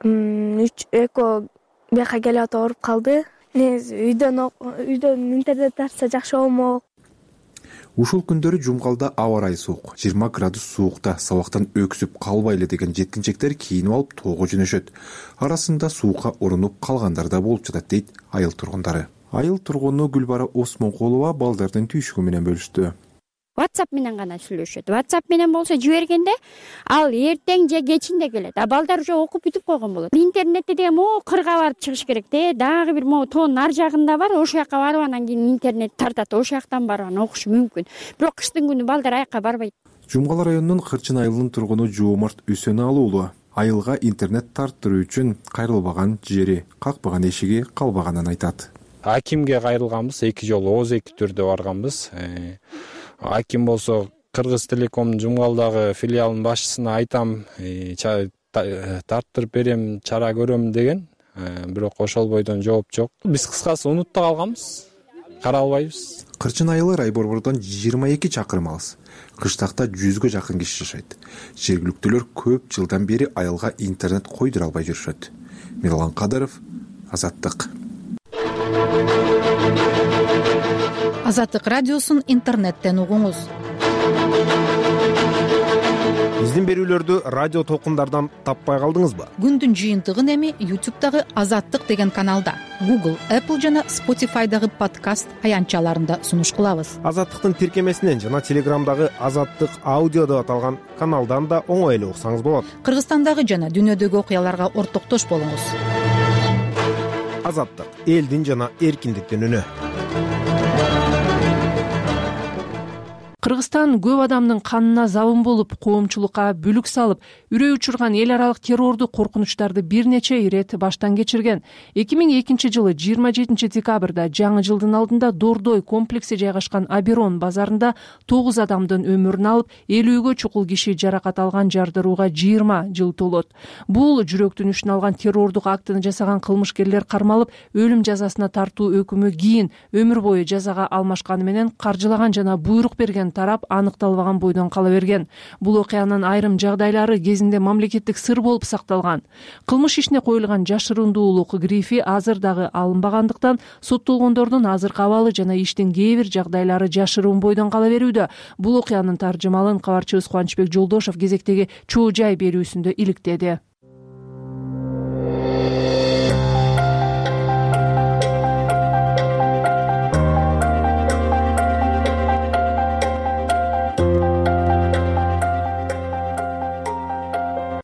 Үч эко бияка келип атып ооруп калды. Үйдөн үйдөн интернет тартса жакшы болмок. Ушул күндөрү Жумгалда аба ырайы суук, жыйырма градус суукта сабактан өксүп калбайлы деген жеткинчектер кийинип алып тоого жөнөшөт. Арасында суукка урунуп калгандар да болуп жатат дейт айыл тургундары. Айыл тургуну Гүлбара Осмонкулова балдардын түйшүгү менен бөлүштү. WhatsApp менен гана сүйлөшөт. WhatsApp менен болсо жибергенде ал эртең же кечинде келет. А балдар уже окуп бүтүп койгон болот. Интернетте деген могу кырга барып чыгыш керек де. Дагы бир могу тоонун ар жагында бар. Ошол жака барып анан кийин интернет тартат. Ошол жактан барып анан окушу мүмкүн. Бирок кыштын күнү балдар аяка барбайт. Жумгал районунун Кырчын айылынын тургуну Жоомарт Үсөналы уулу айылга интернет тарттыруу үчүн кайрылбаган жери, какпаган эшиги калбаганын айтат. Акимге кайрылганбыз, эки жолу ооз эки түрдө барганбыз. Аким болсо Кыргыз Телекомдун Жумгалдагы филиалынын башчысына айтам, тарттырып берем, чара көрөм деген. Бирок ошол бойдон жооп жок. Биз кыскасы унутта калганбыз. Кара албайбыз. Кырчын айылы рай борбордон жыйырма эки чакырым алыс. Кыштакта жүзгө жакын киши жашайт. Жергиликтүүлөр көп жылдан бери айылга интернет койдура албай жүрүшөт. Мирлан Кадыров, Азаттык. Азаттык радиосун интернеттен угуңуз. Биздин берүүлөрдү радио толкундардан таппай калдыңызбы? Күндүн жыйынтыгын эми YouTube'дагы Азаттык деген каналда, Google, Apple жана Spotify'дагы подкаст аянтчаларында сунуш кылабыз. Азаттыктын тиркемесинен жана Телеграмдагы Азаттык аудио деп аталган каналдан да оңой эле уксаңыз болот. Кыргызстандагы жана дүйнөдөгү окуяларга ортоктош болуңуз. Азаттык — элдин жана эркиндиктин үнү. Кыргызстан көп адамдын канына забын болуп, коомчулукка бүлүк салып, үрөй учурган эл аралык террордук коркунучтарды бир нече ирет баштан кечирген. эки миң экинчи жылы жыйырма жетинчи декабрда жаңы жылдын алдында Дордой комплекси жайгашкан Аберон базарында тогуз адамдын өмүрүн алып, элүүгө чукул киши жаракат алган жардырууга жыйырма жыл толот. Бул жүрөктүн үчүн алган террордук актыны жасаган кылмышкерлер кармалып, өлүм жазасына тартуу өкүмү кийин өмүр бою жазага алмашканы менен каржылаган жана буйрук берген тарап аныкталбаган бойдон кала берген. Бул окуянын айрым жагдайлары кезинде мамлекеттик сыр болуп сакталган. Кылмыш ишине коюлган жашырундуулук грифи азыр дагы алынбагандыктан соттолгондордун азыркы абалы жана иштин кээ бир жагдайлары жашыруун бойдон кала берүүдө. Бул окуянын таржымалын кабарчыбыз Кубанычбек Жолдошов кезектеги Чоо жай берүүсүндө иликтеди.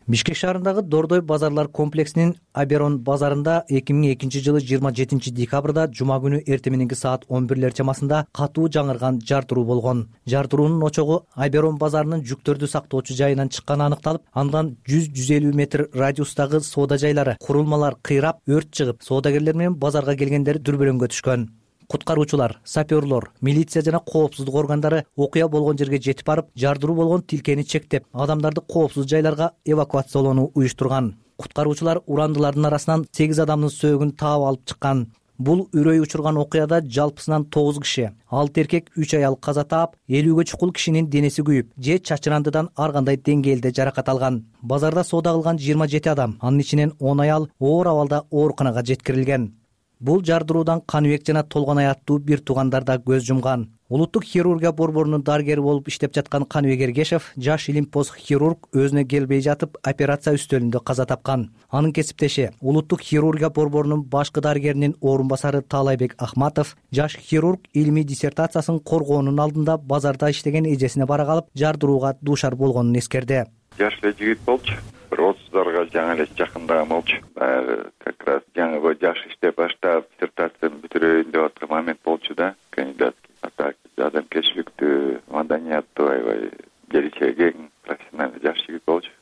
Бишкек шаарындагы Дордой базарлар комплексинин Аберон базарында эки миң экинчи жылы жыйырма жетинчи декабрда жума күнү эртең мененки саат он бирлер чамасында катуу жаңырган жартыруу болгон. Жартыруунун очогу Аберон базарынын жүктөрдү сактоочу жайынан чыкканы аныкталып, андан жүз жүз элүү метр радиустагы соода жайлары, курулмалар кыйрап, өрт чыгып, соодагерлер менен базарга келгендер дүрбөлөңгө түшкөн. Куткаруучулар, саперлор, милиция жана коопсуздук органдары окуя болгон жерге жетип барып, жардыруу болгон тилкени чектеп, адамдарды коопсуз жайларга эвакуациялоону уюштурган. Куткаруучулар урандылардын арасынан сегиз адамдын сөөгүн таап алып чыккан. Бул үрөй учурган окуяда жалпысынан тогуз киши, алты эркек, үч аял каза таап, элүүгө чукул кишинин денеси күйүп, же чачырандыдан ар кандай деңгээлде жаракат алган. Базарда соода кылган жыйырма жети адам, анын ичинен он аял оор абалда ооруканага жеткирилген. Бул жардыруудан Каныбек жана Толгонай аттуу бир туугандар да көз жумган. Улуттук хирургия борборунун дарыгери болуп иштеп жаткан Каныбек Эргешев жаш илимпоз хирург өзүнө келбей жатып операция үстөлүндө каза тапкан. Анын кесиптеши улуттук хирургия борборунун башкы дарыгеринин орун басары Таалайбек Ахматов жаш хирург илимий диссертациясын коргоонун алдында базарда иштеген эжесине бара калып жардырууга дуушар болгонун эскерди. Жаш эле жигит болчу. Бир отуздарга жаңы эле жакындаган болчу. Как раз жаңы жаш иштеп баштап диссертацияны бүтүрөйүн деп аткан момент болчу да. Кандидатский атак, адамгерчиликтүү, маданияттуу, аябай келечеги кең профессиональный жаш жигит болчу.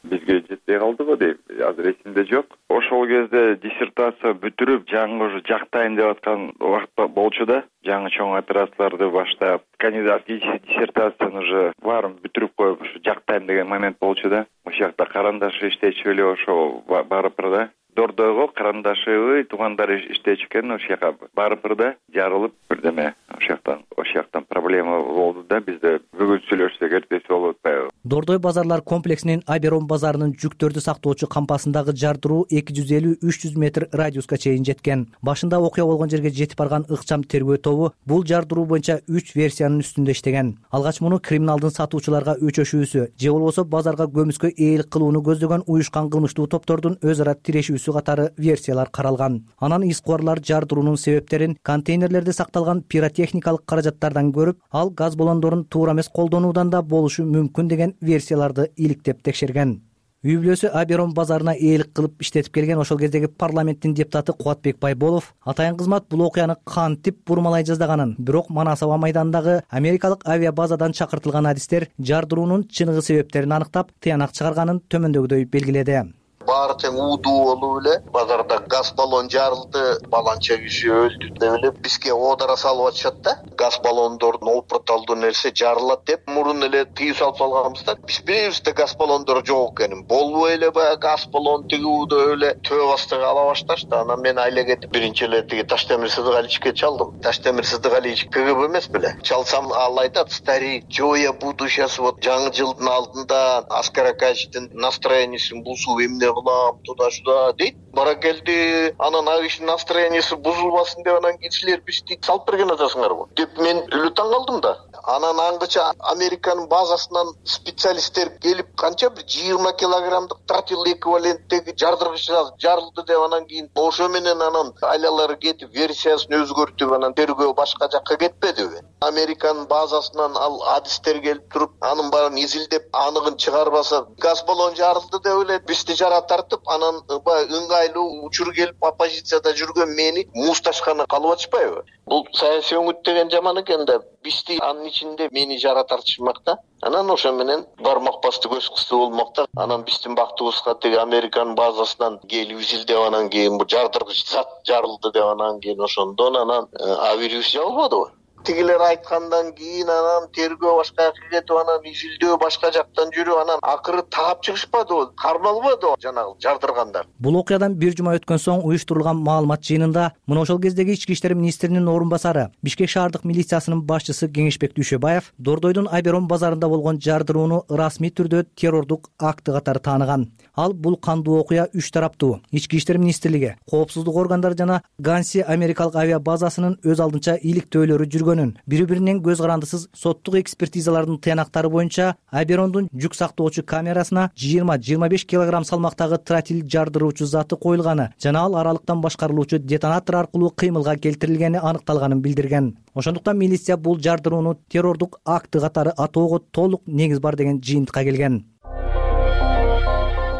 Бизге жетпей калды го дейм, азыр эсимде жок. Ошол кезде диссертация бүтүрүп, жаңы уже жактайын деп аткан убакыт болчу да. Жаңы чоң операцияларды баштап, кандидатский диссертацияны уже баарын бүтүрүп коюп, ушу жактайм деген момент болчу да. Ошол жакта карандаш иштечү эле ошо барып да. Дордойго карандашыбы туугандары иштечү экен, ошол жака барыпыр да жарылып бирдеме ошол жактан ошол жактан проблема болду да бизде бүгүн сүйлөшсөк эртеси болуп атпайбы. Дордой базарлар комплексинин Аберон базарынын жүктөрдү сактоочу кампасындагы жардыруу эки жүз элүү үч жүз метр радиуска чейин жеткен. Башында окуя болгон жерге жетип барган ыкчам тергөө тобу бул жардыруу боюнча үч версиянын үстүндө иштеген. Алгач муну криминалдын сатуучуларга өчөшүүсү же болбосо базарга көмүскө ээлик кылууну көздөгөн уюшкан кылмыштуу топтордун өз ара тирешүүсү катары версиялар каралган. Анан искыбарлар жардыруунун себептерин контейнерлерде сакталган пиротехникалык каражаттардан көрүп, ал газ баллондорун туура эмес колдонуудан да болушу мүмкүн деген версияларды иликтеп текшерген. Үй бүлөсү Аберон базарына ээлик кылып иштетип келген ошол кездеги парламенттин депутаты Кубатбек Байболов атайын кызмат бул окуяны кантип бурмалай жаздаганын, бирок Манасаба майданындагы америкалык авиабазадан чакыртылган адистер жардыруунун чыныгы себептерин аныктап, тыянак чыгарганын төмөндөгүдөй белгиледи. Баары тең уудуу болуп эле базарда газ баллон жарылды, баланча киши өлдү деп эле бизге оодара салып атышат да. Газ баллондордун опурталдуу нерсе жарылат деп мурун эле тыюу салып салганбыз да. Биз билебизде газ баллондор жок экенин. Болбой эле баягы газ баллон тиги уудуу эле төбө астыга ала башташты. Анан мен айла кетип биринчи эле тиги Таштемир Сыдыгаличке чалдым. Таштемир Сыдыгалич КГБ эмес беле. Чалсам ал айтат: "Старик, жоя буду сейчас вот жаңы жылдын алдында Аскар Акачтын настроениесин бузуп эмне кылам туда-сюда" дейт. Бара келди, анан ал кишинин настроениясы бузулбасын деп анан кишилер бизди салып берген атасыңарбы деп мен үлү таң калдым да. Анан аңгыча Американын базасынан специалисттер келип канча бир жыйырма килограммдык тротил эквиваленттеги жардыргыч жарылды деп анан кийин ошо менен анан айлалары кетип версиясын өзгөртүп анан тергөө башка жакка кетпедиби? Американын базасынан ал адистер келип туруп анын баарын изилдеп аныгын чыгарбаса газ баллон жарылды деп эле бизди жара тартып анан баягы ыңгайлуу учур келип оппозицияда жүргөн мени муздашканы калып атышпайбы? Бул саясий өңүт деген жаман экен да бизди анын ичинде мени жара тартышмак да. Анан ошо менен бармак басты көз кысты болмок да. Анан биздин бактыбызга тиги Американын базасынан келип изилдеп анан кийин бу жардыргыч зат жарылды деп анан кийин ошондон анан авирус жабылбадыбы? Тигилер айткандан кийин анан тергөө башка жакка кетип анан изилдөө башка жактан жүрүп анан акыры таап чыгышпадыбы, кармалбадыбы жанагы жардыргандар. Бул окуядан бир жума өткөн соң уюштурулган маалымат жыйынында мына ошол кездеги ички иштер министринин орун басары, Бишкек шаардык милициясынын башчысы Кеңешбек Дүйшөбаев Дордойдун Аберон базарында болгон жардырууну расмий түрдө террордук акты катары тааныган. Ал бул кандуу окуя үч тараптуу ички иштер министрлиги, коопсуздук органдары жана Ганси америкалык авиабазасынын өз алдынча иликтөөлөрү жүргөнүн, бири-биринен көз карандысыз соттук экспертизалардын тыянактары боюнча Аберондун жүк сактоочу камерасына жыйырма жыйырма беш килограмм салмактагы тротил жардыруучу заты коюлганы жана ал аралыктан башкарылуучу детонатор аркылуу кыймылга келтирилгени аныкталганын билдирген. Ошондуктан милиция бул жардырууну террордук акты катары атоого толук негиз бар деген жыйынтыкка келген.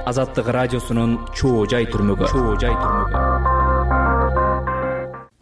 Азаттык радиосунун чоо жай түрмөгү. Чоо жай түрмөгү.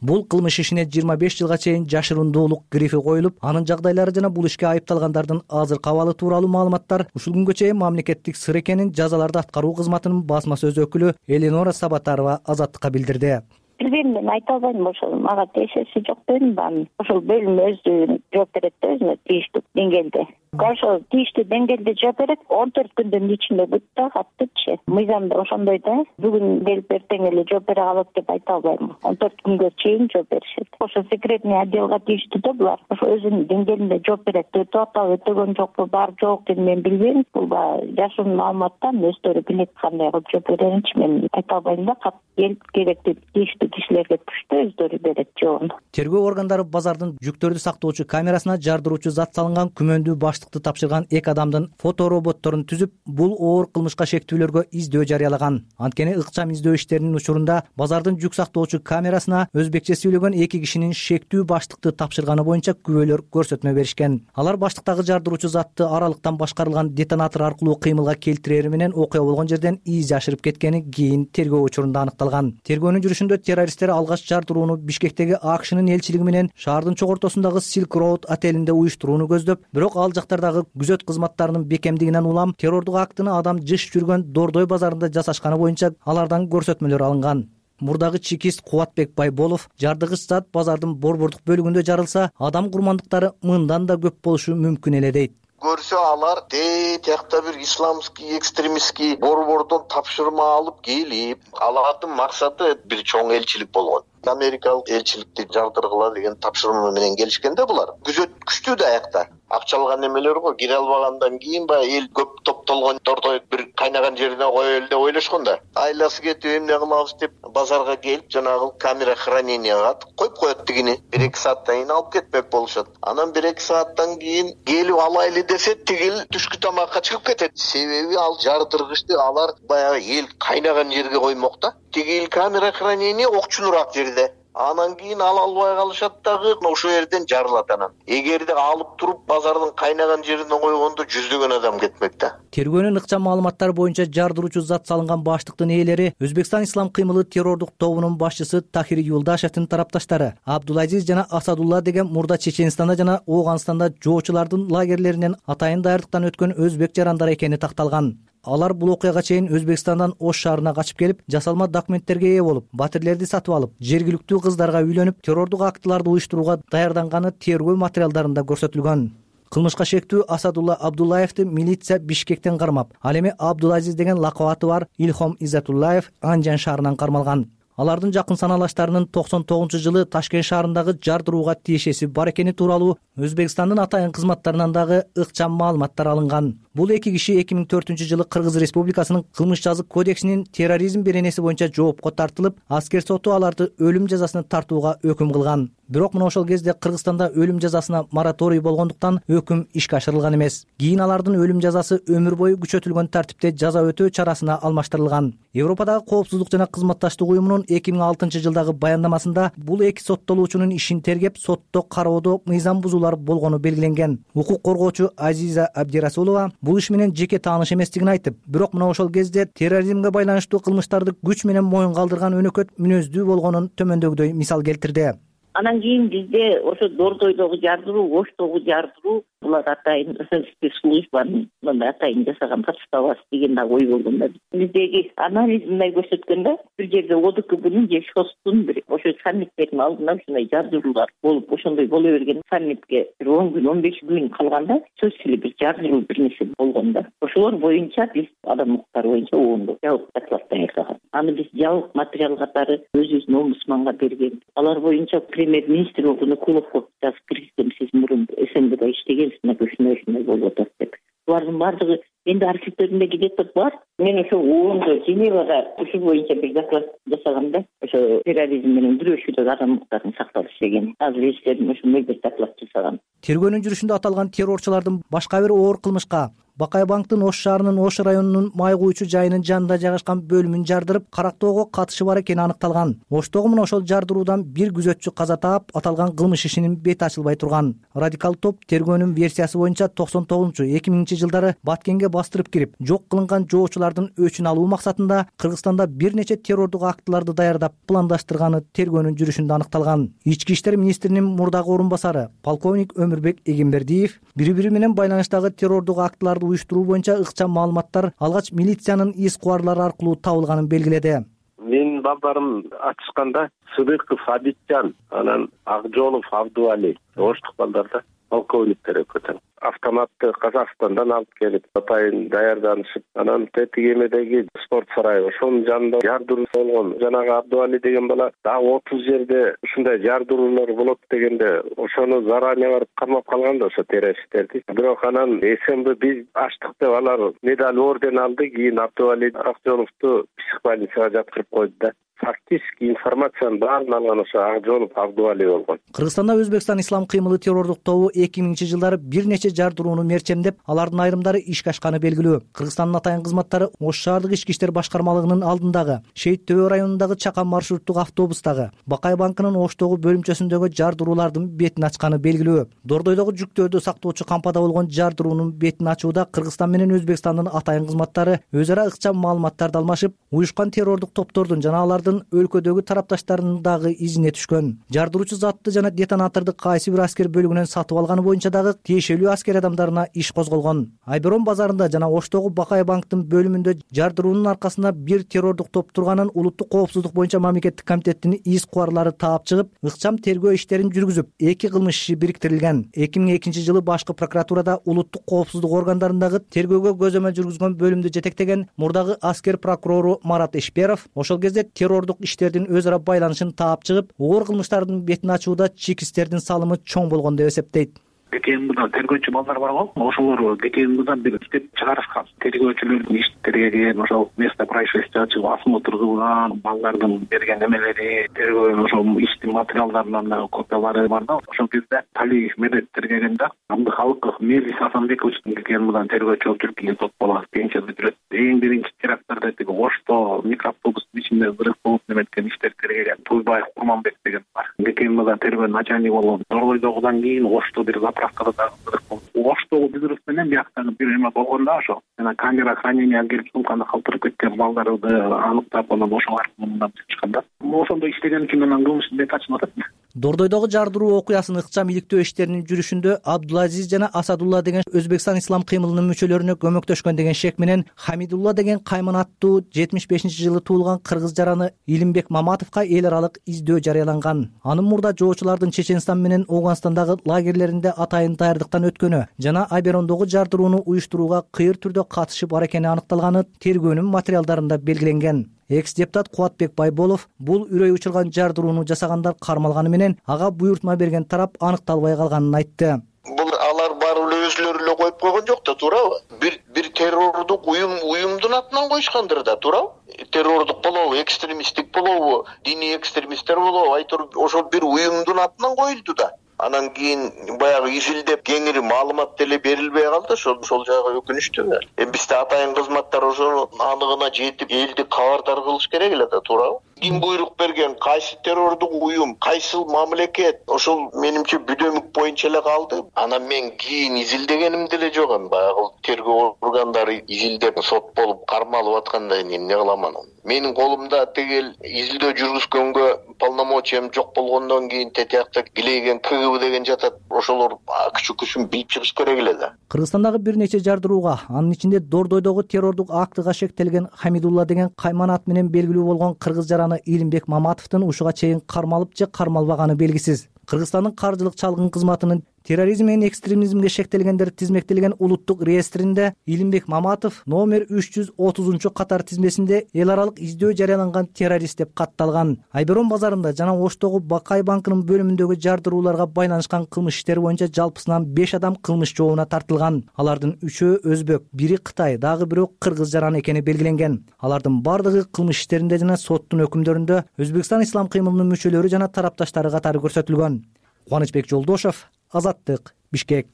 Бул кылмыш ишине жыйырма беш жылга чейин жашырундуулук грифи коюлуп, анын жагдайлары жана бул ишке айыпталгандардын азыркы абалы тууралуу маалыматтар ушул күнгө чейин мамлекеттик сыр экенин жазаларды аткаруу кызматынын басма сөз өкүлү Элинора Сабатарова Азаттыкка билдирди. Билбейм, мен айта албайм, ошол мага тиешеси жок дедим да. Ошол бөлүм өзү жооп берет да өзүнө тийиштүү деңгээлде. Ошол тийиштүү деңгээлде жооп берет, он төрт күндүн ичинде бүт да каттычы. Мыйзамда ошондой да. Бүгүн келип эртең эле жооп бере калат деп айта албайм. он төрт күнгө чейин жооп беришет. Ошо секретный отделга тийиштүү да булар. Ошо өзүнүн деңгээлинде жооп берет. Өтүп атабы, өтөгөн жокпу, бар жок деп мен билбейм. Бул жашыруун маалыматтан өздөрү билет кандай кылып жооп береринчи мен айта албайм да. Кат келип керектүү тийиштүү кишилерге түштү өздөрү берет жообун. Тергөө органдары базардын жүктөрдү сактоочу камерасына жардыруучу зат салынган күмөндүү баштыкты тапшырган эки адамдын фотороботторун түзүп, бул оор кылмышка шектүүлөргө издөө жарыялаган. Анткени ыкчам издөө иштеринин учурунда базардын жүк сактоочу камерасына өзбекче сүйлөгөн эки кишинин шектүү баштыкты тапшырганы боюнча күбөлөр көрсөтмө беришкен. Алар баштыктагы жардыруучу затты аралыктан башкарылган детонатор аркылуу кыймылга келтирери менен окуя болгон жерден из жашырып кеткени кийин тергөө учурунда аныкталган. Тергөөнүн жүрүшүндө террористтер алгач жардырууну Бишкектеги АКШнын элчилиги менен шаардын чогортосундагы Silk Road отелинде уюштурууну көздөп, бирок ал жактардагы күзөт кызматтарынын бекемдигинен улам террордук актыны адам жыш жүргөн Дордой базарында жасашканы боюнча алардан көрсөтмөлөр алынган. Мурдагы чекист Кубатбек Байболов жардыгыч зат базардын борбордук бөлүгүндө жарылса, адам курмандыктары мындан да көп болушу мүмкүн эле дейт. көрсө алар де тиякта бир исламский экстремистский борбордон тапшырма алып келип, алардын максаты бир чоң элчилик болгон. Америкалык элчиликти жардыргыла деген тапшырма менен келишкенде булар. Күзөт күчтүү да аякта. Акчалган эмелер го, кире албагандан кийин баягы эл көп топтолгондордо бир кайнаган жерине коелу деп ойлошкон да. Айласы кетип эмне кылабыз деп базарга келип, жанагы камера храненияга коюп коет тигини. бир эки сааттан кийин алып кетмек болушат. Анан бир эки сааттан кийин келип алайлы десе, тигил түшкү тамакка чыгып кетет. Себеби ал жардыргычты алар баягы эл кайнаган жерге коймок да. Тигил камера хранения окчунураак жерде. Анан кийин ала албай калышат дагы, ошол жерден жарылат анан. Эгерде алып туруп базардын кайнаган жерине койгондо жүздөгөн адам кетмек да. Тергөөнүн ыкчам маалыматтары боюнча жардыруучу зат салынган баштыктын ээлери Өзбекстан Ислам кыймылы террордук тобунун башчысы Тахир Юлдашевдин тарапташтары Абдулазиз жана Асадулла деген мурда Чеченстанда жана Ооганстанда жоочулардын лагерлеринен атайын даярдыктан өткөн өзбек жарандар экени такталган. Алар бул окуяга чейин Өзбекстандан Ош шаарына качып келип, жасалма документтерге ээ болуп, батирлерди сатып алып, жергиликтүү кыздарга үйлөнүп, террордук актыларды уюштурууга даярданганы тергөө материалдарында көрсөтүлгөн. Кылмышка шектүү Асадулла Абдуллаевди милиция Бишкектен кармап, ал эми Абдулазиз деген лакабаты бар Илхом Иззатуллаев Анжан шаарынан кармалган. Алардын жакын саналаштарынын токсон тогузунчу жылы Ташкент шаарындагы жардырууга тиешеси бар экени тууралуу Өзбекстандын атайын кызматтарынан дагы ыкчам маалыматтар алынган. Бул эки киши эки миң төртүнчү жылы Кыргыз Республикасынын кылмыш жазык кодексинин терроризм беренеси боюнча жоопко тартылып, аскер соту аларды өлүм жазасына тартууга өкүм кылган. Бирок мына ошол кезде Кыргызстанда өлүм жазасына мораторий болгондуктан өкүм ишке ашырылган эмес. Кийин алардын өлүм жазасы өмүр бою күчөтүлгөн тартипте жаза өтөө чарасына алмаштырылган. Европадагы коопсуздук жана кызматташтык уюмунун эки миң алтынчы жылдагы баяндамасында бул эки соттолуучунун ишин тергеп, сотто кароодо мыйзам бузуулар болгону белгиленген. Укук коргоочу Азиза Абдирасулова бул иш менен жеке тааныш эместигин айтып, бирок мына ошол кезде терроризмге байланыштуу кылмыштарды күч менен моюнга алдырган өнөкөт мүнөздүү болгонун төмөндөгүдөй мисал келтирди. Анан кийин бизде ошо Дордойдогу жардыруу, Оштогу жардыруу булар атайын спецслужбанын мындай атайын жасаган подставасы деген да ой болгон да. Биздеги анализ мындай көрсөткөн да, бир жерде ОДКБнын же ШОСтун бир ошо саммиттердин алдында ушундай жардыруулар болуп, ошондой боло берген саммитке бир он күн, он беш күн калганда сөзсүз эле бир жардыруу бир нерсе болгон да. Ошолор боюнча биз адам укуктары боюнча оондо жабык доклад даярдаган. Аны биз жабык материал катары өзүбүздүн омбудсманга берген. Алар боюнча премьер-министр Куловго жазып киргизген, сиз мурун СНГда иштегенсиз, ушундай ушундай болуп атат деп. Булардын баардыгы менде архивтеримде где-то бар. Мен ошо оондо Женевада ушул боюнча бир доклад жасаганда, ошо терроризм менен күрөшүүдөгү адам укуктарынын сакталышы деген азыр эстерим ошондой бир доклад жасаган. Тергөөнүн жүрүшүндө аталган террорчулардын башка бир оор кылмышка Бакай банктын Ош шаарынын Ош районунун май куючу жайынын жанында жайгашкан бөлүмүн жардырып, карактоого катышы бар экени аныкталган. Оштогу мына ошол жардыруудан бир күзөтчү каза таап, аталган кылмыш ишинин бети ачылбай турган. Радикал топ тергөөнүн версиясы боюнча токсон тогузунчу эки миңинчи жылдары Баткенге бастырып кирип, жок кылынган жоочулардын өчүн алуу максатында Кыргызстанда бир нече террордук актыларды даярдап, пландаштырганы тергөөнүн жүрүшүндө аныкталган. Ички иштер министринин мурдагы орун басары полковник Өмүрбек Эгембердиев бири-бири менен байланыштагы террордук актыларды уюштуруу боюнча ыкчам маалыматтар алгач милициянын из кубарлары аркылуу табылганын белгиледи. Менин балдарым ачышканда Сыдыков Абитжан, анан Акжолов Абдуали, оштук балдар да, полковниктер экөөтөн. Автоматты Казакстандан алып келип, атайын даярданышып, анан Тетигемедеги спорт сарайы, ошонун жанында жардыруу болгон. Жанагы Абдуали деген бала дагы отуз жерде ушундай жардыруулар болот дегенде, ошону заранее барып кармап калган да ошо террористтерди. Бирок анан СМБ биз ачтык деп алар медаль орден алды, кийин Абдуали Акжоловду психбольницага жаткырып койду да. Фактически информациянын баарын алган ошо Акжолов Абдуали болгон. Кыргызстанда Өзбекстан Ислам кыймылы террордук тобу эки миңинчи жылдары бир нече жардырууну мерчемдеп, алардын айрымдары ишке ашканы белгилүү. Кыргызстандын атайын кызматтары Ош шаардык ички иштер башкармалыгынын алдындагы, Шейит Төбө районундагы Чакан маршруттук автобустагы, Бакай банкынын Оштогу бөлүмчөсүндөгү жардыруулардын бетин ачканы белгилүү. Дордойдогу жүктөрдү сактоочу кампада болгон жардыруунун бетин ачууда Кыргызстан менен Өзбекстандын атайын кызматтары өз ара ыкчам маалыматтарды алмашып, уюшкан террордук топтордун жана алардын өлкөдөгү тарапташтарынын дагы изине түшкөн. Жардыруучу затты жана детонаторду кайсы бир аскер бөлүгүнөн сатып алганы боюнча дагы тиешелүү аскер адамдарына иш козголгон. Айберон базарында жана Оштогу Бакай банктын бөлүмүндө жардыруунун аркасында бир террордук топ турганын улуттук коопсуздук боюнча мамлекеттик комитеттин иш кубарлары таап чыгып, ыкчам тергөө иштерин жүргүзүп, эки кылмыш иши бириктирилген. эки миң экинчи жылы башкы прокуратурада улуттук коопсуздук органдарындагы тергөөгө көзөмөл жүргүзгөн бөлүмдү жетектеген мурдагы аскер прокурору Марат Ишперов ошол кезде террордук иштердин өз ара байланышын таап чыгып, оор кылмыштардын бетин ачууда чекистердин салымы чоң болгон деп эсептейт. ГКМБда тергөөчү балдар бар го, ошолор ГКМБдан бир иштеп чыгарышкан. Тергөөчүлөрдүн иштерге келген, ошол место происшествия чыгып осмотр кылган, балдардын берген эмелери, тергөө ошол иштин материалдарынын дагы копиялары бар да. Ошол кезде Талиев Медеттер келгенде Абдыхалыков Мелис Асанбековичтин ГКМБдан тергөөчү болуп жүрүп кийин сот болот, кийинче бүтүрөт. Эң биринчи теракттарда тиги Ошто микроавтобустун ичинде взрыв болуп неметкен иштерге келген Туйбаев Курманбек деген бар. ГКМБдан тергөө начальник болгон. Норбойдогудан кийин Ошто бир заправкада дагы взрыв болду. Оштогу взрыв менен бияктагы бир эме болгон да ошо. Жана камера хранения келип сумканы калтырып кеткен балдарды аныктап, анан ошол аркылуу мындан чыккан да. Ошондо иштеген үчүн анан кылмыштын бети ачылып атат. Дордойдогу жардыруу окуясын ыкчам иликтөө иштеринин жүрүшүндө Абдулазиз жана Асадулла деген Өзбекстан ислам кыймылынын мүчөлөрүнө көмөктөшкөн деген шек менен Хамидулла деген Кайман аттуу жетимиш бешинчи жылы туулган кыргыз жараны Илимбек Маматовго эл аралык издөө жарыяланган. Анын мурда жоочулардын Чеченстан менен Ооганстандагы лагерлеринде атайын даярдыктан өткөнү жана Аберондогу жардырууну уюштурууга кыйыр түрдө катышы бар экени аныкталганы тергөөнүн материалдарында белгиленген. Экс-депутат Кубатбек Байболов бул үрөй учурган жардырууну жасагандар кармалганы менен ага буйртма берген тарап аныкталбай калганын айтты. Бул алар барып эле өзүлөрү эле коюп койгон жок да, туурабы? Бир бир террордук уюм уюмдун атынан коюшкандыр да, туурабы? Террордук болобу, экстремисттик болобу, диний экстремисттер болобу, айтор ошол бир уюмдун атынан коюлду да. Анан кийин баягы изилдеп кеңири маалымат деле берилбей калды, ошол ошол жагы өкүнүчтүү. Эми бизде атайын кызматтар ошо аныгына жетип элди кабардар кылыш керек эле да, туурабы? Ким буйрук берген, кайсы террордук уюм, кайсы мамлекет, ошол менимче бүдөмүк боюнча эле калды. Анан мен кийин изилдегеним деле жок, анан баягы тергөө органдары изилдеп сот болуп кармалып атканда эмне кыламан? Менин колумда тегел изилдөө жүргүзгөнгө полномочиям жок болгондон кийин тетиякта килейген КГБ деген жатат. Ошолор күчү күчүн билип чыгыш керек эле да. Кыргызстандагы бир нече жардырууга, анын ичинде Дордойдогу террордук актыга шектелген Хамидулла деген Кайман ат менен белгилүү болгон кыргыз жараны Илимбек Маматовдун ушуга чейин кармалып же кармалбаганы белгисиз. Кыргызстандын каржылык чалгын кызматынын терроризм менен экстремизмге шектелгендер тизмектелген улуттук реестринде Илимбек Маматов номер үч жүз отузунчу катар тизмесинде эл аралык издөө жарыяланган террорист деп катталган. Айберон базарында жана Оштогу Бакай банкынын бөлүмүндөгү жардырууларга байланышкан кылмыш иштери боюнча жалпысынан беш адам кылмыш жообуна тартылган. Алардын үчөө өзбек, бири Кытай, дагы бирөө кыргыз жараны экени белгиленген. Алардын бардыгы кылмыш иштеринде жана соттун өкүмдөрүндө Өзбекстан ислам кыймылынын мүчөлөрү жана тарапташтары катары көрсөтүлгөн. Кубанычбек Жолдошов, Азаттык, Бишкек.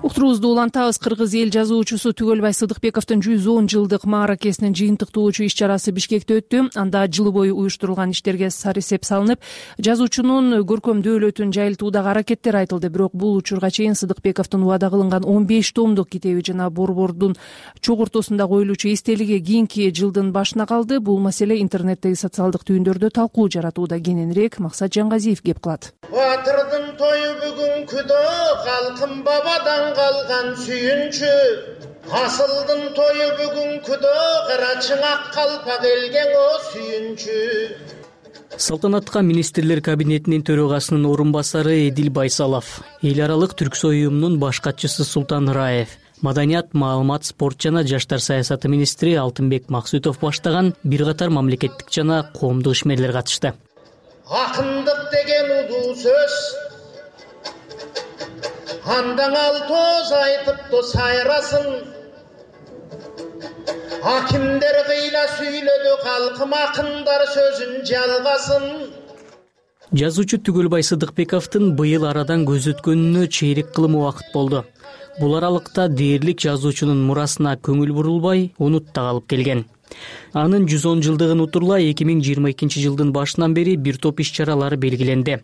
Уктуруубузду улантабыз. Кыргыз эл жазуучусу Түгөлбай Сыдыкбековдун жүз он жылдык мааракесинин жыйынтыктоочу иш чарасы Бишкекте өттү. Анда жыл бою уюштурулган иштерге сарысеп салынып, жазуучунун көркөм дөөлөтүн жайылтуудагы аракеттер айтылды. Бирок бул учурга чейин Сыдыкбековдун убада кылынган он беш томдук китеби жана борбордун чогуртосунда коюлуучу эстелиги кийинки жылдын башына калды. Бул маселе интернеттеги социалдык түйүндөрдө талкуу жаратууда. Кененирээк Максат Жангазиев кеп кылат. Батырдын тою бүгүн күдө, калкым бабадан калган сүйүнчү. Асылдын тою бүгүн күдө, кара чыңак калпак элген о сүйүнчү. Салтанатка министрлер кабинетинин төрагасынын орун басары Эдил Байсалов, эл аралык түрксой уюмунун баш катчысы Султан Раев, Маданият, маалымат, спорт жана жаштар саясаты министри Алтынбек Максутов баштаган бир катар мамлекеттик жана коомдук ишмерлер катышты. Акындык деген улуу сөз, андан ал тоз айтыпту сайрасын. Акимдер кыйла сүйлөдү, калкым акындар сөзүн жалгасын. Жазуучу Түгөлбай Сыдыкбековдун быйыл арадан көз өткөнүнө чейрек кылым убакыт болду. Бул аралыкта дээрлик жазуучунун мурасына көңүл бурулбай, унутта калып келген. Анын жүз он жылдыгын утурлай эки миң жыйырма экинчи жылдын башынан бери бир топ иш чаралары белгиленди.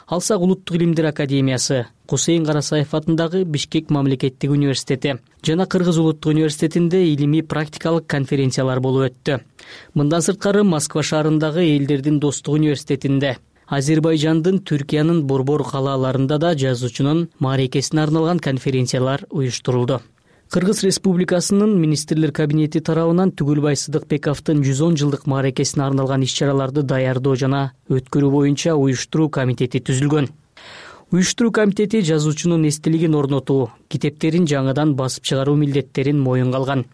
Алсак Улуттук илимдер академиясы, Кусейин Карасаев атындагы Бишкек мамлекеттик университети жана Кыргыз улуттук университетинде илимий практикалык конференциялар болуп өттү. Мындан сырткары Москва шаарындагы Элдердин достук университетинде, Азербайжандын, Түркиянын борбор калааларында да жазуучунун мааракесине арналган конференциялар уюштурулду. Кыргыз Республикасынын министрлер кабинети тарабынан Түгөлбай Сыдыкбековдун жүз он жылдык мааракесине арналган иш-чараларды даярдоо жана өткөрүү боюнча уюштуруу комитети түзүлгөн. Уюштуруу комитети жазуучунун эстелигин орнотуу, китептерин жаңыдан басып чыгаруу милдеттерин моюнга алган.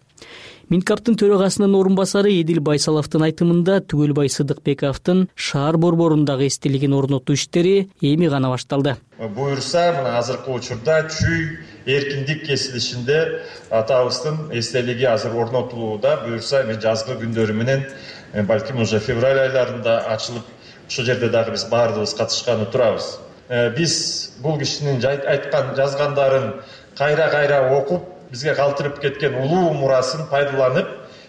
Минкаптын төрагасынын орун басары Эдил Байсаловдун айтымында Түгөлбай Сыдыкбековдун шаар борборундагы эстелигин орнотуу иштери эми гана башталды. Буюрса, мына азыркы учурда Чүй эркиндик кесилишинде атабыздын эстелиги азыр орнотулууда. Буюрса, эми жазгы күндөрү менен балким уже февраль айларында ачылып, ошол жерде дагы биз баардыгыбыз катышканы турабыз. Биз бул кишинин айткан, жазгандарын кайра-кайра окуп, бизге калтырып кеткен улуу мурасын пайдаланып,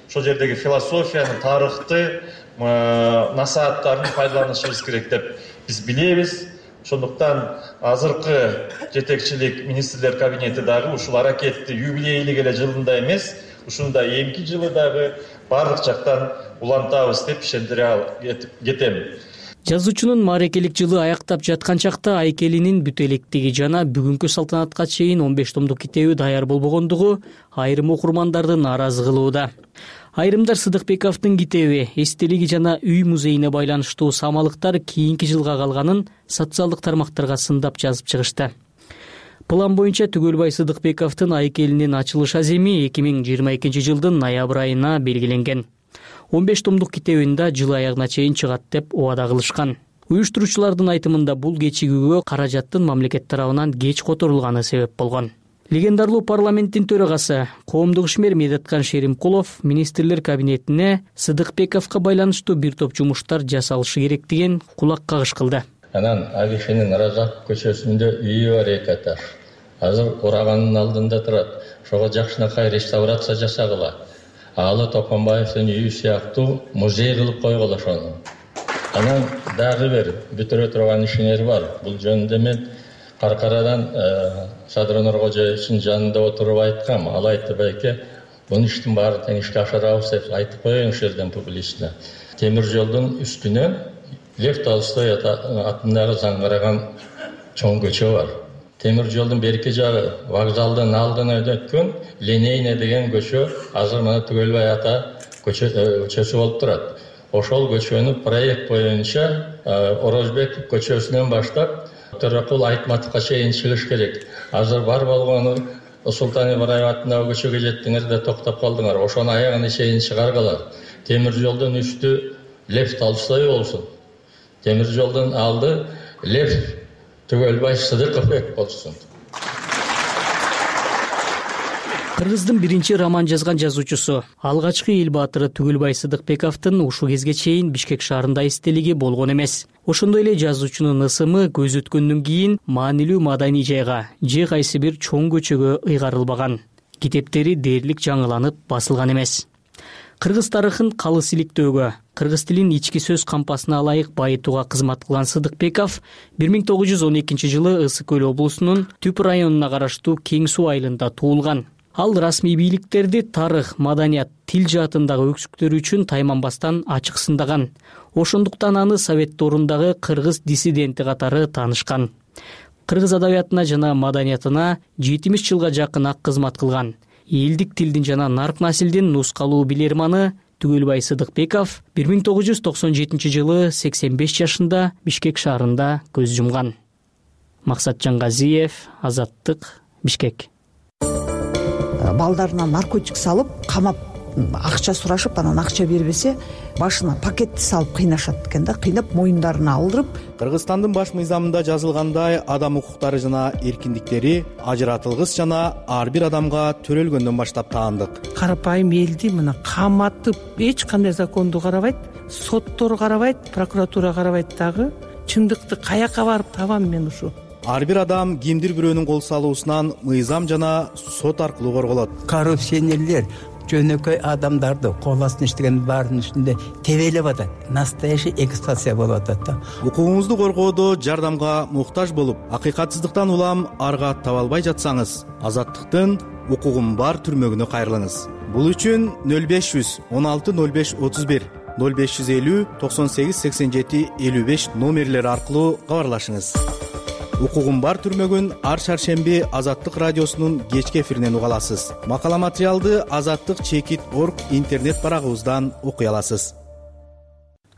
ошол жердеги философиянын, тарыхты, насааттарын пайдаланышыбыз керек деп биз билебиз. Ошондуктан азыркы жетекчилик министрлер кабинети дагы ушул аракетти юбилейлик эле жылында эмес, ушундай эмки жылы дагы баардык жактан улантабыз деп ишендире кетем. Жазуучунун мааракелик жылы аяктап жаткан чакта Айкелинин бүт электиги жана бүгүнкү салтанатка чейин он беш томдук китеби даяр болбогондугу айрым окурмандарды нааразы кылууда. Айрымдар Сыдыкбековдун китеби, эстелиги жана үй музейине байланыштуу самалыктар кийинки жылга калганын социалдык тармактарга сындап жазып чыгышты. План боюнча Түгөлбай Сыдыкбековдун Айкелинин ачылыш аземи эки миң жыйырма экинчи жылдын ноябрь айына белгиленген. он беш томдук китебин да жыл аягына чейин чыгат деп убада кылышкан. Уюштуруучулардын айтымында бул кечигүүгө каражаттын мамлекет тарабынан кеч которулганы себеп болгон. Легендарлуу парламенттин төрагасы, коомдук ишмер Медеткан Шеримкулов министрлер кабинетине Сыдыкбековго байланыштуу бир топ жумуштар жасалышы керек деген кулак кагыш кылды. Анан Агишинин Разак көчөсүндө үйү бар эки этаж. Азыр ураганын алдында турат. Ошого жакшынакай реставрация жасагыла. Алы Токонбаевдин үйү сыяктуу музей кылып койгула ошону. Анан дагы бир бүтүрө турган ишинер бар. Бул жөнүндө мен Каркарадан Садыр Нуркожоевичтин жанында отуруп айткам. Ал айтты, байке, бул иштин баарын тең ишке ашырабыз деп айтып коеюн ушул жерден публично. Темир жолдун үстүнө Лев Толстой атындагы заңгараган чоң көчө бар. Темир жолдун берки жагы вокзалдын алдына өткөн Линейный деген көчө азыр мына Түгөлбай ата көчөсү болуп турат. Ошол көчөнү проект боюнча Орозбек көчөсүнөн баштап Төрөкул Айтматовго чейин чыгыш керек. Азыр бар болгону Султан Ибраев атындагы көчөгө жеттиңер да токтоп калдыңар. Ошону аягына чейин чыгаргыла. Темир жолдун үстү Лев Толстой болсун. Темир жолдун алды Лев Түгөлбай Сыдыкбеков болсун. Кыргыздын биринчи роман жазган жазуучусу, алгачкы эл баатыры Түгөлбай Сыдыкбековдун ушул кезге чейин Бишкек шаарында эстелиги болгон эмес. Ошондой эле жазуучунун ысымы көз өткөндөн кийин маанилүү маданий жайга, же кайсы бир чоң көчөгө ыйгарылбаган. Китептери дээрлик жаңыланып басылган эмес. Кыргыз тарыхын калыс иликтөөгө, кыргыз тилин ички сөз кампасына ылайык байытууга кызмат кылган Сыдыкбеков бир миң тогуз жүз он экинчи жылы Ысык көл облусунун Түп районуна караштуу Кең суу айылында туулган. Ал расмий бийликтерди тарых, маданият, тил жаатындагы өксүктөрү үчүн тайманбастан ачык сындаган. Ошондуктан аны Совет дорундагы кыргыз диссиденти катары таанышкан. Кыргыз адабиятына жана маданиятына жетимиш жылга жакын ак кызмат кылган. Элдик тилдин жана нарк насилдин нускалуу билерманы Түгөлбай Сыдыкбеков бир миң тогуз жүз токсон жетинчи жылы сексен беш жашында Бишкек шаарында көз жумган. Максат Жангазиев, Азаттык, Бишкек. Балдарына наркотик салып, камап акча сурашып, анан акча бербесе, башына пакетти салып кыйнашат экен да, кыйнап моюндарына алдырып. Кыргызстандын баш мыйзамында жазылгандай адам укуктары жана эркиндиктери ажыратылгыс жана ар бир адамга төрөлгөндөн баштап таандык. Карапайым элди мына каматып, эч кандай законду карабайт, соттор карабайт, прокуратура карабайт дагы. Чындыкты каяка барып табам мен ушу? Ар бир адам кимдир бирөөнүн кол салуусунан мыйзам жана сот аркылуу корголот. Коррупционерлер жөнөкөй адамдарды кол астына иштеген баардын үстүндө тебелеп атат. Настоящий эксплуатация болуп атат да. Укугуңузду коргоодо жардамга муктаж болуп, акыйкатсыздыктан улам арга таба албай жатсаңыз, Азаттыктын укугум бар түрмөгүнө кайрылыңыз. Бул үчүн нөл беш жүз он алты нөл беш отуз бир ноль беш жүз элүү токсон сегиз сексен жети элүү беш номерлери аркылуу кабарлашыңыз. Укугум бар түрмөгүн ар шаршемби Азаттык радиосунун кечки эфиринен уга аласыз. Макала материалды азаттык чекит орг интернет барагыбыздан окуй аласыз.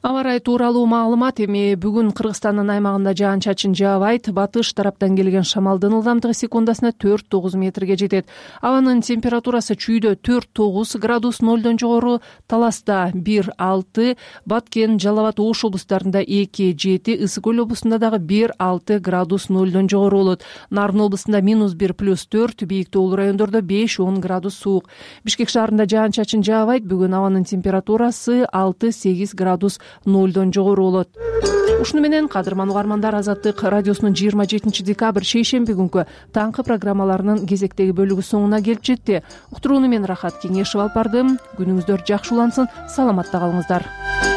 Аба ырайы тууралуу маалымат. Эми бүгүн Кыргызстандын аймагында жаан-чачын жаабайт. Батыш тараптан келген шамалдын ылдамдыгы секундасына төрт тогуз метрге жетет. Абанын температурасы чүйдө төрт тогуз градус нолдон жогору, Таласта бир алты, Баткен, Жалал Абад, Ош облустарында эки жети, Ысык Көл облусунда дагы бир алты градус нолдон жогору болот. Нарын облусунда минус бир плюс төрт, бийик тоолуу райондордо беш он градус суук. Бишкек шаарында жаан-чачын жаабайт. Бүгүн абанын температурасы алты сегиз градус нолдон жогору болот. Ушуну менен кадырман угармандар, Азаттык радиосунун жыйырма жетинчи декабрь шейшемби күнкү таңкы программаларынын кезектеги бөлүгү соңуна келип жетти. Уктурууну мен Рахат Кеңешев алып бардым. Күнүңүздөр жакшы улансын, саламатта калыңыздар.